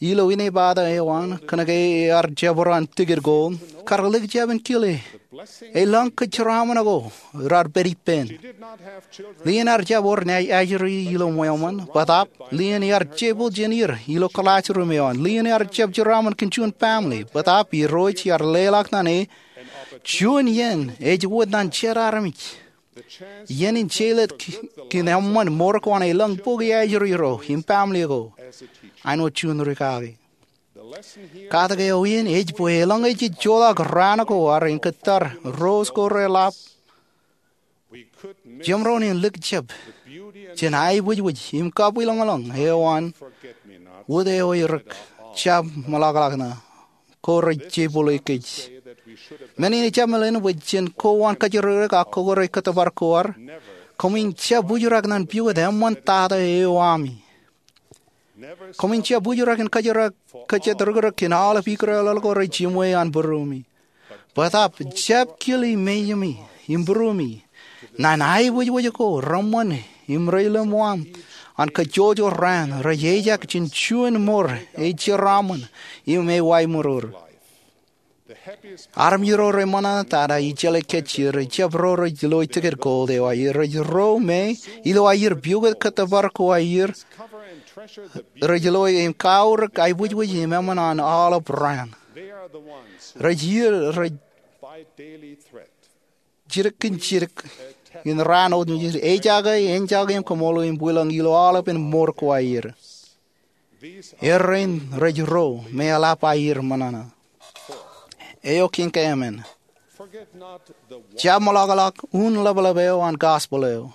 ilo inepata eo an, kōnke ear jabdewōt an tikōt ko, kar likjab in kile elōñ kōjeraaṃṃan ko raar pād ippān. Lien ear jab wōr ajri ilo ṃweo ṃōn, bōtaab Lien ear jepel jān er ilo classroom eo an. Lien ear jab jeraaṃṃan kōn juon family, bōtaab Irooj ear leḷọk ñan e juon iien ej wōt ñan jet armej iien in jeorḷọk kōn eṃṃan ṃor ko an elōñ bok ajri ro im family ko āinwōt juon rikaki. Katak eo in ej bwe eḷaññe jej joḷọk raan ko ad en kōttar, ro ko reḷap, jemaroñ in likjab jān aebwijbwij im kabwilōñlōñ eo an wōt eo rej jab ṃōḷaḷḷọk ñan ko rej jepel kōj. Men in ejjab meḷeḷein bwe jen kowaan kōjatdikdik ak kōkure kōttōpar ko ad. Koṃwin jab bujrak ñan piwōt eṃṃan tata eo ami. Koṃwin jab bujrak in kōjatdikdik kōn aolep ikōtḷọk ko rej jiṃwe an būruemi. Bōtaab jab kile meimi im būruemi ñan aebwijbwij ko reṃṃan im reilōñ aṃ an kajjojo raan rej ejak jān juon ṃor eo jeraaṃṃan im eo aemōrōr. Armej ro reṃōṇōṇō tata ejjeḷọk kajjitōk, ejjab ro rej lo tikōt gold eo aer. Rej ro me ilo aer piwōt kōttōpar ko aer, rej lo im kaorōk aebwijbwij im eṃṃan an aolep raan. Rej iiō rej jidik kōn jidik in raan otemjej, ejake, enjake im kōṃṃool im bwilōñ ilo aolepen ṃor ko aer. Errein rej ro me eḷap aer ṃōṇōṇō. Eo kein kaemān, jab ṃōḷaḷḷọk un ḷapḷap eo an gospel eo.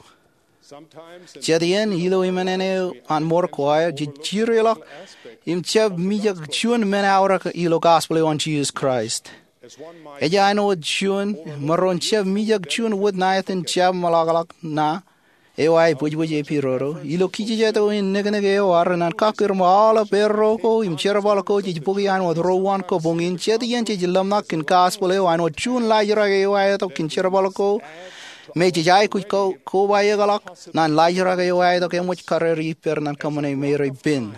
Jet iien ilo emān eo an ṃor ko aer jej jireḷọk im jab mijak juon men aorōk ilo gospel eo an Jisōs Kraist. Ej āinwōt juon maroñ jab mijak juon wōt ṇa etan jab ṃōḷaḷḷọk ṇa eo aebwijbwij epidodo. Ilo kijejet eo in niknik eo ad ñan kakkure ṃōk, aolep erro ko im jerbal ko jej bōki āinwōt ruo uwaan kabuñ in. Jet iien jej ḷōmṇak kōn gospel eo āinwōt juon laajrak eo aetok kōn jerbal ko me jej aikuj kobaikḷọk ñan laajrak eo aetok eṃōj karere ippād ñan kōṃṃane me rej pen.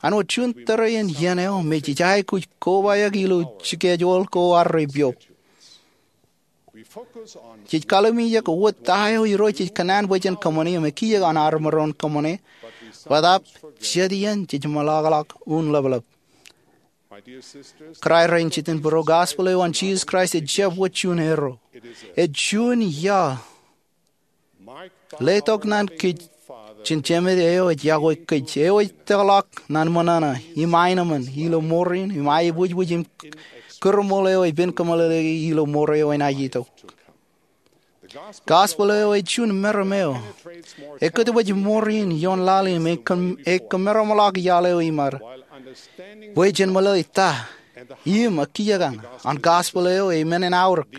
Āinwōt juon tōre in iien eo me jej aikuj kobaik ilo schedule ko ad rej piok. Jej kalimjek wōt ta eo Irooj ej kōṇaan bwe jen kōṃṃane im ekiiō an ad maroñ kōṃṃane, bōtaab jet iien jej ṃōḷaḷḷọk un ḷapḷap. Kōrā rein jitōnbōro, gospel eo an Jisōs Kraist ej jab wōt juon erro. Ej juon ia letok ñan kōj jān Jemād eo ej iọkwe kōj, eo ej tōkḷọk ñan ṃōṇōṇō im aenōṃṃan ilo ṃoor in im aebwijbwij im kūrṃool eo epen kōmeḷeḷeiki ilo ṃor eo enaaj itok. Gospel eo ej juon meram eo ekōtpōj ṃoor in ioon laḷ im e kōmeramḷọk iaḷ eo iṃad bwe jen meḷeḷe ta im ekiiō an gospel eo e men in aorōk.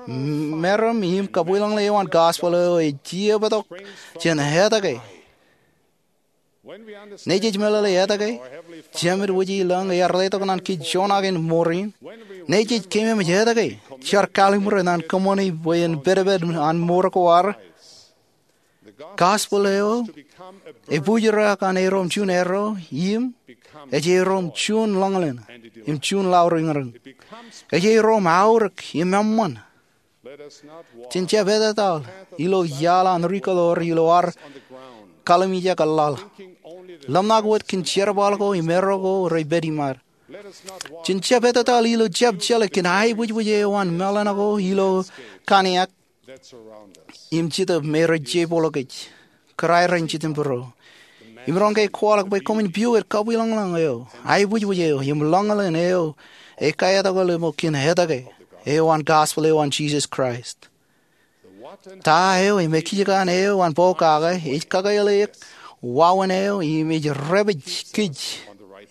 Meram im kabwilōñlōñ eo an gospel eo ej iepōtok jān etke. Nejej meḷeḷe etke, Jemād Wūjilōñ ear letok ñan kōj joñak in ṃoor in. Nejej keememej etke, jar kallim̧ur ñan kōṃṃani bwe en pedped an ṃor ko ad. Gospel eo ej bujrak an erom juon erro im ej erom juon ḷōñḷōñ im juon lauriñriñ. Ej erom aorōk im eṃṃan. Jen jab etataḷ ilo iaḷ an rikōḷoor ilo ad kalimjek laḷ, ḷōmṇak wōt kōn jerbal ko im erro ko rej pād iṃad. Jen jab etataḷ ilo jab jeḷā kōn aebwijbwij eo an meḷan ko ilo kaniak im jitōb me rej jepel kōj. Kōrā rein jitōnbōro, imaroñ ke kwaḷọk bwe koṃwin piwōj kabwilōñlōñ eo, aebwijbwij eo im ḷōñḷōñ eo ej kaetokḷọk ṃōk kōn etke eo an gospel eo an Jisōs Kraist. Ta eo im ekiiō an eo an pokake ej kakāāle eok wāween eo im ej dāpij kōj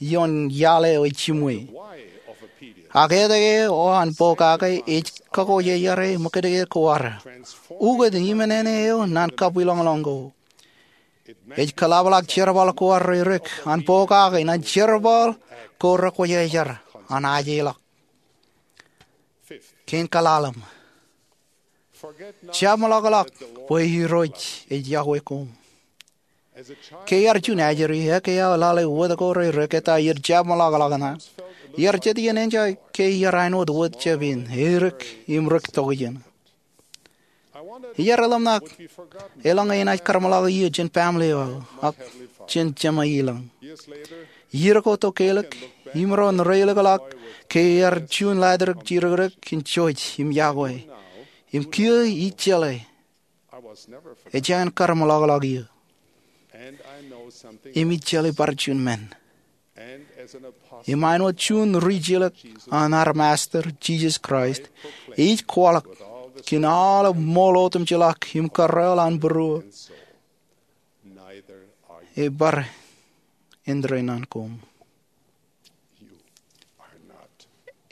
ioon iaḷ eo ej jimwe. Ak etke eo an pokake ej kakojeaer e ṃōkajdik ko ad? Ukōt iṃōṇōṇō eo naan kabwilōñlōñ ko. Ej kōḷapḷọk jerbal ko ad reirik an pokake naan jerbal ko rekwōjarjar an ajeḷọk. Kein kaḷalem, jab ṃōḷaḷḷọk bwe Irooj ej yokwe koṃ. Ke iar juon ajri, ekkā aō lale wōt ko reirik, ettā iar jab ṃōḷaḷḷọk ṇe. Iar jet iien enjeḷ ke iar āinwōt wōt jab in, erik im rik tokjān. Iar lōmṇak eḷaññe enaaj kar ṃōḷaḷḷọk eō jān baaṃle eo aō ak jān Jemem ilañ. Iiō ko tok ke eḷak, imaroñ reilikḷọk ke iar juon ḷaajdik jidikdik in jouj im yokwe. Im kiiō ij jeḷā ejān kar ṃōḷaḷḷọk eō. Im ij jeḷā bar juon men. Im āinwōt juon ri jilōk an ad Masta Jisōs Kraist, ij kwaḷọk kōn aolep ṃool otemjeḷọk im kōrreoḷ an būruō, ebar indeeo naan koṃ.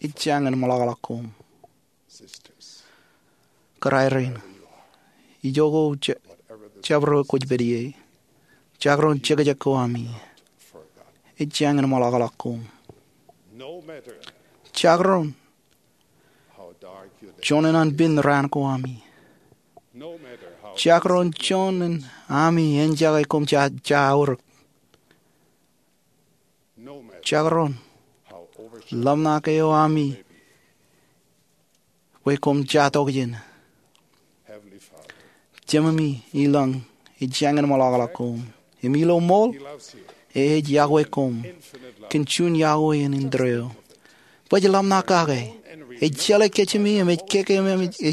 Ejāñin ṃōḷaḷḷọk koṃ. Kōrā rein, ijoko jabdewōt kwōj pād ie, jakroñ jekjek ko ami, ejāñin ṃōḷaḷḷọk koṃ. Jakroñ joñan an pin raan ko ami, jakroñ joñan ami enjake koṃ ja aorōk, jakroñ lōmṇak eo ami bwe koṃ ja tokjān, Jememi ilañ ejāñin ṃōḷaḷḷọk koṃ. Im ilo ṃool, e ej yokwe koṃ kōn juon yokwe in indeeo. Bwe ej lōmṇak kake, ej jeḷā kōjām im ej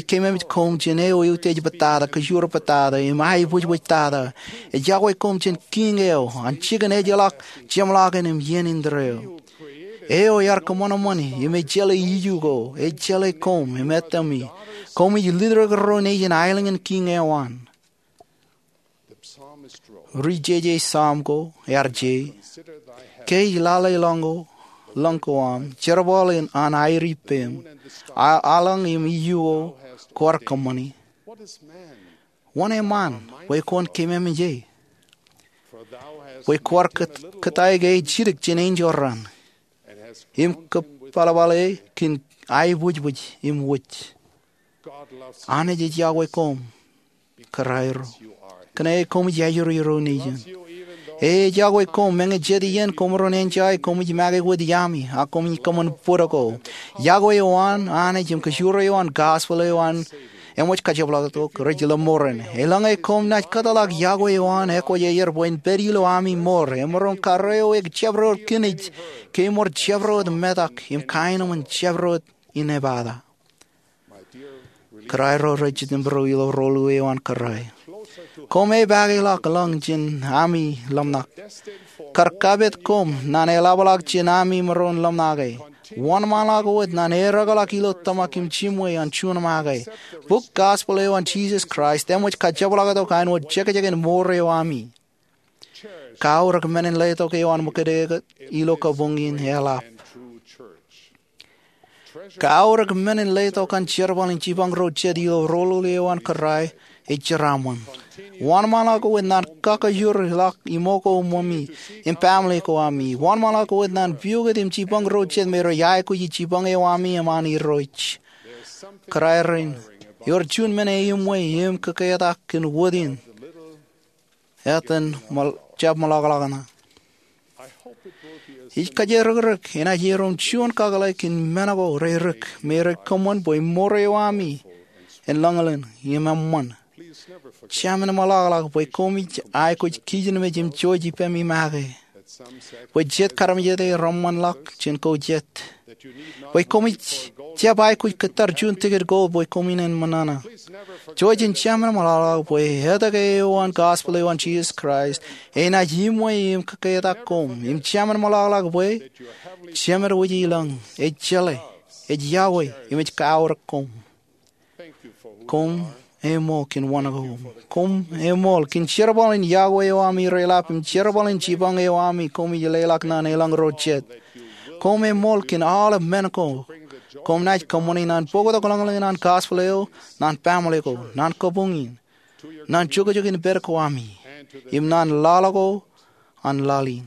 keememej koṃ jān eo eutiej bōtata, kōjuor bōtata, im aebwijbwijtata. Ej yokwe koṃ jān Kiiñ eo an jikin ejjeḷọk, jeṃḷọkin im iien indeeo, eo ear kōṃanṃani im ej jeḷā iju ko, ej jeḷā koṃ im ettami. Koṃij lutōk ro nejin aelōñ in kiiñ eo an. Ri jeje Sam ko ear je, ke ij lale lọñko, lọñko aṃ, jerbal an aer ippem, aelōñ im iju ko kwaar kōṃṃani. Wōn eṃṃan bwe kwōn keememej e? Bwe kwaar kōtaik e jidik jān enjeḷ raṇ, im kōpalpale kōn aebwijbwij im wōj. Anij ej yokwe koṃ, kōrā ro, kōnke koṃij ajri ro nejin. E ej yokwe koṃ meñe jet iien koṃ maroñ enjeḷā koṃij make wōt iaami, ak koṃij kōṃṃan bōd ko. Yokwe eo an Anij im kōjro eo an gospel eo an eṃōj kajepḷaaktok rej lọmọọren. Eḷaññe koṃ naaj kōtḷọk yokwe eo an ekwōjarjar bwe en pād ilo ami mour, emaroñ karreo e jabdewōt kinij ke ṃor jabdewōt metak im kaenōṃṃan jabdewōt inepata. Kōrā ro rej jitōnbōro ilo rōl eo an kōrā, koṃ epaake ḷọk lọñ jān ami lōmṇak. Kar kapit koṃ naan eḷapḷọk jān ami maroñ lōmṇake. Wōnṃaanḷọk wōt naan eddekḷọk ilo tōmak im jimwe an juon make. Bok gospel eo an Jisōs Kraist eṃōj kajepḷaaktok āinwōt jekjek in mour eo ami. Kaorōk men in letok eo an ṃōkajdik ilo kabuñ in eḷap. Kaorōk men in letok an jerbal in jipañ ro jet ilo rōl eo an kōrā ej jeraaṃṃan. Wōnṃaanḷọk wōt naan kakajoor ḷọk iṃōko, ṃōmi, im baaṃle ko ami. Wōnṃaanḷọk wōt naan piukūt im jipañ ro jet me rej aikuji jipañ eo ami im an Irooj. Kōrā rein, ewōr juon men eṃṃan im kōketak kōn wōt in etan jab ṃōḷaḷḷọk ṇe. Ij kajjirōkrōk enaaj erom juon kakōḷḷe kōn men ko reirik me rej kōṃṃan bwe mour eo ami en lōñḷọk im eṃṃan. Jab men ṃōḷaḷḷọk bwe koṃij aikuj kijenmej im jouj ippemi make, bwe jet karamjete reṃṃanḷọk jān ko jet, bwe koṃij jab aikuj kōttar juon tikid ko bwe koṃ in ṃōṇōṇō. Jouj im jab men ṃōḷaḷḷọk bwe etke eo an gospel eo an Jisōs Kraist enaaj iṃwe im kōketak koṃ. Im jab men ṃōḷaḷḷọk bwe Jemedwōj ilañ ej jeḷā, ej yokwe, im ej kaorōk koṃ. Koṃ eṃool kōn wōn ko. Koṃ eṃool kōn jerbal in iọkwe eo ami reḷap im jerbal in jipañ eo ami koṃij leḷọk naan eḷañño jet. Koṃ eṃool kōn aolep men ko. Koṃ naaj kōṃṃane naan bōktok lōñlōñ in an gospel eo ñan baaṃle ko, ñan kabuñ in, ñan jokjok in pād ko ami, im ñan laḷ ko an laḷ in.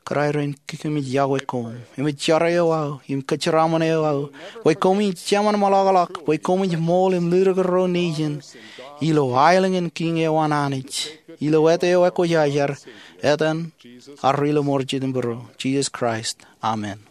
Kōrā rein, kōmij iọkwe koṃ, im ej jar eo aō im kōjeraaṃṃan eo aō, bwe koṃij jemān ṃōḷaḷḷọk bwe koṃij ṃool im lutōk ro nejin ilo aelōñ in Kiiñ eo an Anij, ilo āt eo ekwojarjar, etan, ak ilo mour jet im būruō, Jisōs Kraist. Amen.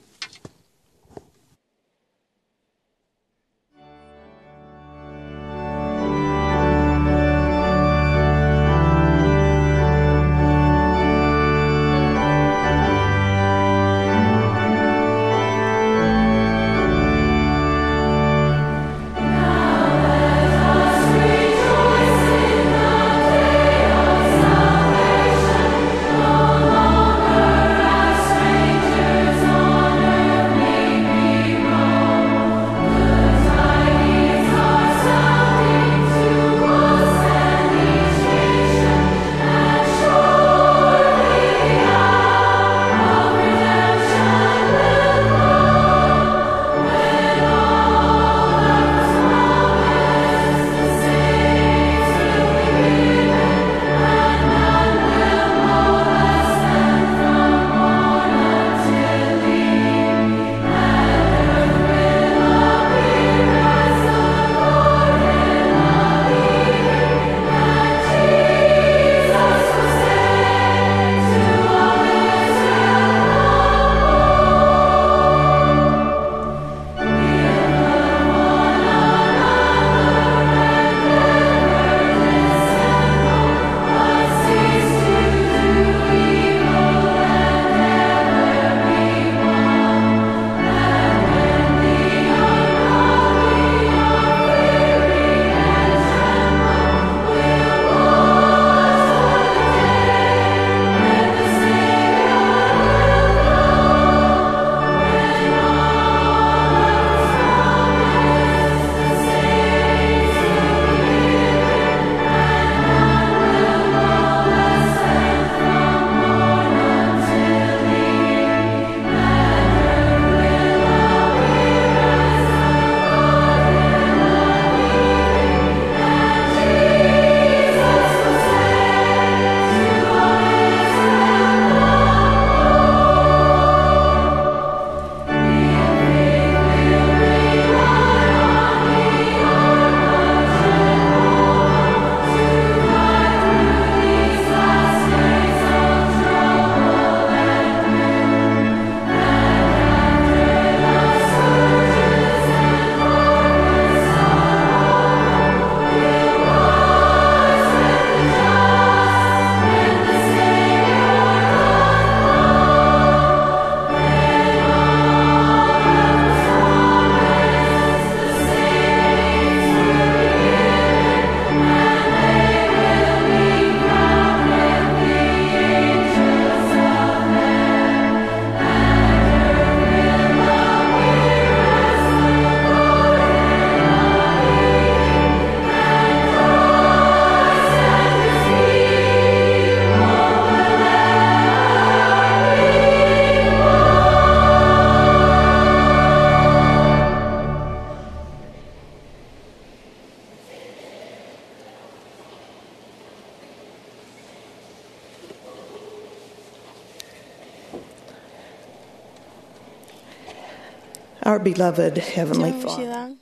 Our beloved Heavenly Father.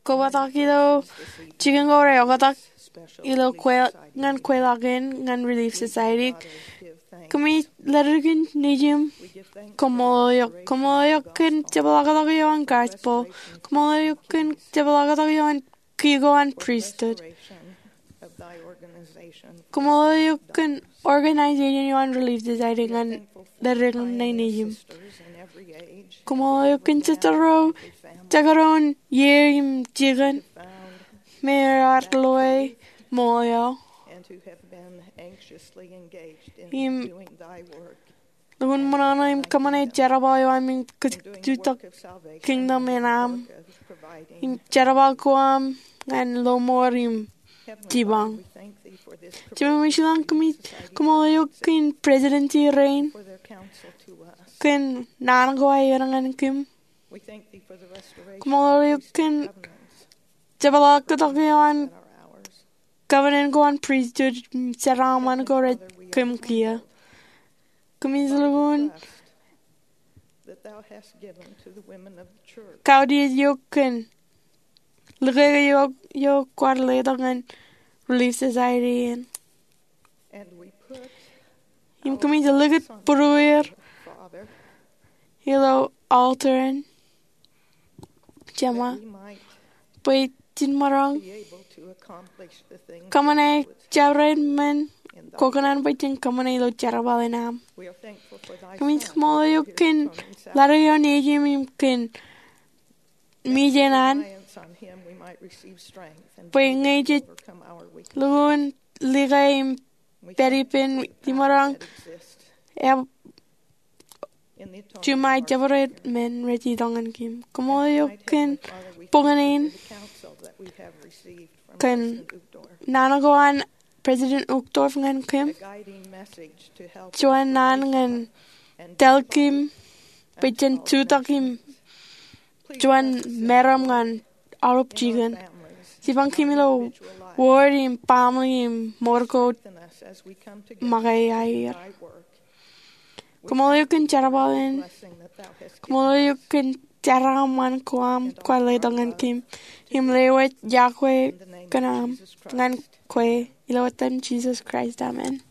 Kobatok ilo jikin ko reoktak ilo kwe-, ñan kweilọk in ñan Relief Society. Kōmij ledik kōn nejiṃ. Koṃṃool eok, koṃṃool eok kōn jepḷaaktok eo an gospel. Koṃṃool eok kōn jepḷaaktok eo an kiiō an pristut. Koṃṃool eok kōn organization eo an Relief Society ñan ledik ṇe nejiṃ. Koṃṃool eok kōn sōstro ro, jekdọọn iiō im jikin, me ear loe ṃool eo im lukkuun ṃōṇōṇō im kōṃṃane jerbal eo aṃ im kajjitōk kingdom in aṃ im jerbal ko aṃ ñan lọmọọr im jipañ. Jemem eo ilañ, kōmij koṃṃool eok kōn presidency rein kōn naan ko aer ñan kōm. Koṃṃool eok kōn jepḷaaktok eo an covenant ko an priesthood, jeraaṃṃan ko rej kōm kiiō. Kōmij lukkuun kautiej eok kōn likeke eo kwaar letok ñan Relief Society in. Im kōmij likūt būrueir ilo altar in, Jeṃa, bwe jen maroñ kōṃṃane jabdewōt men kwō kōṇaan bwe jen kōṃṃane ilo jerbal in aṃ. Kōmij koṃṃool eok kōn ledik eo an nejūṃ im kōn mejān an, bwe ñe jej lukkuun lika im pād ippān, jemaroñ juṃae jabdewōt men rej itok ñan kōm. Koṃṃool eok kōn boñōn in kōn naan ko an President Uchtdorf ñan kōm. Juon naan ñan tōl kōm bwe jen jutak im juon meram ñan aolep jikin. Jipañ kōm ilo ward im baaṃle im ṃōr ko make aer. Koṃṃool eok kōn jerbal in. Koṃṃool eok kōn jeraaṃṃan ko aṃ kwaar letok ñan kōm im lewōj iọkwe kōn aṃ ñan kwe, ilo etan Jisōs Kraist, amen.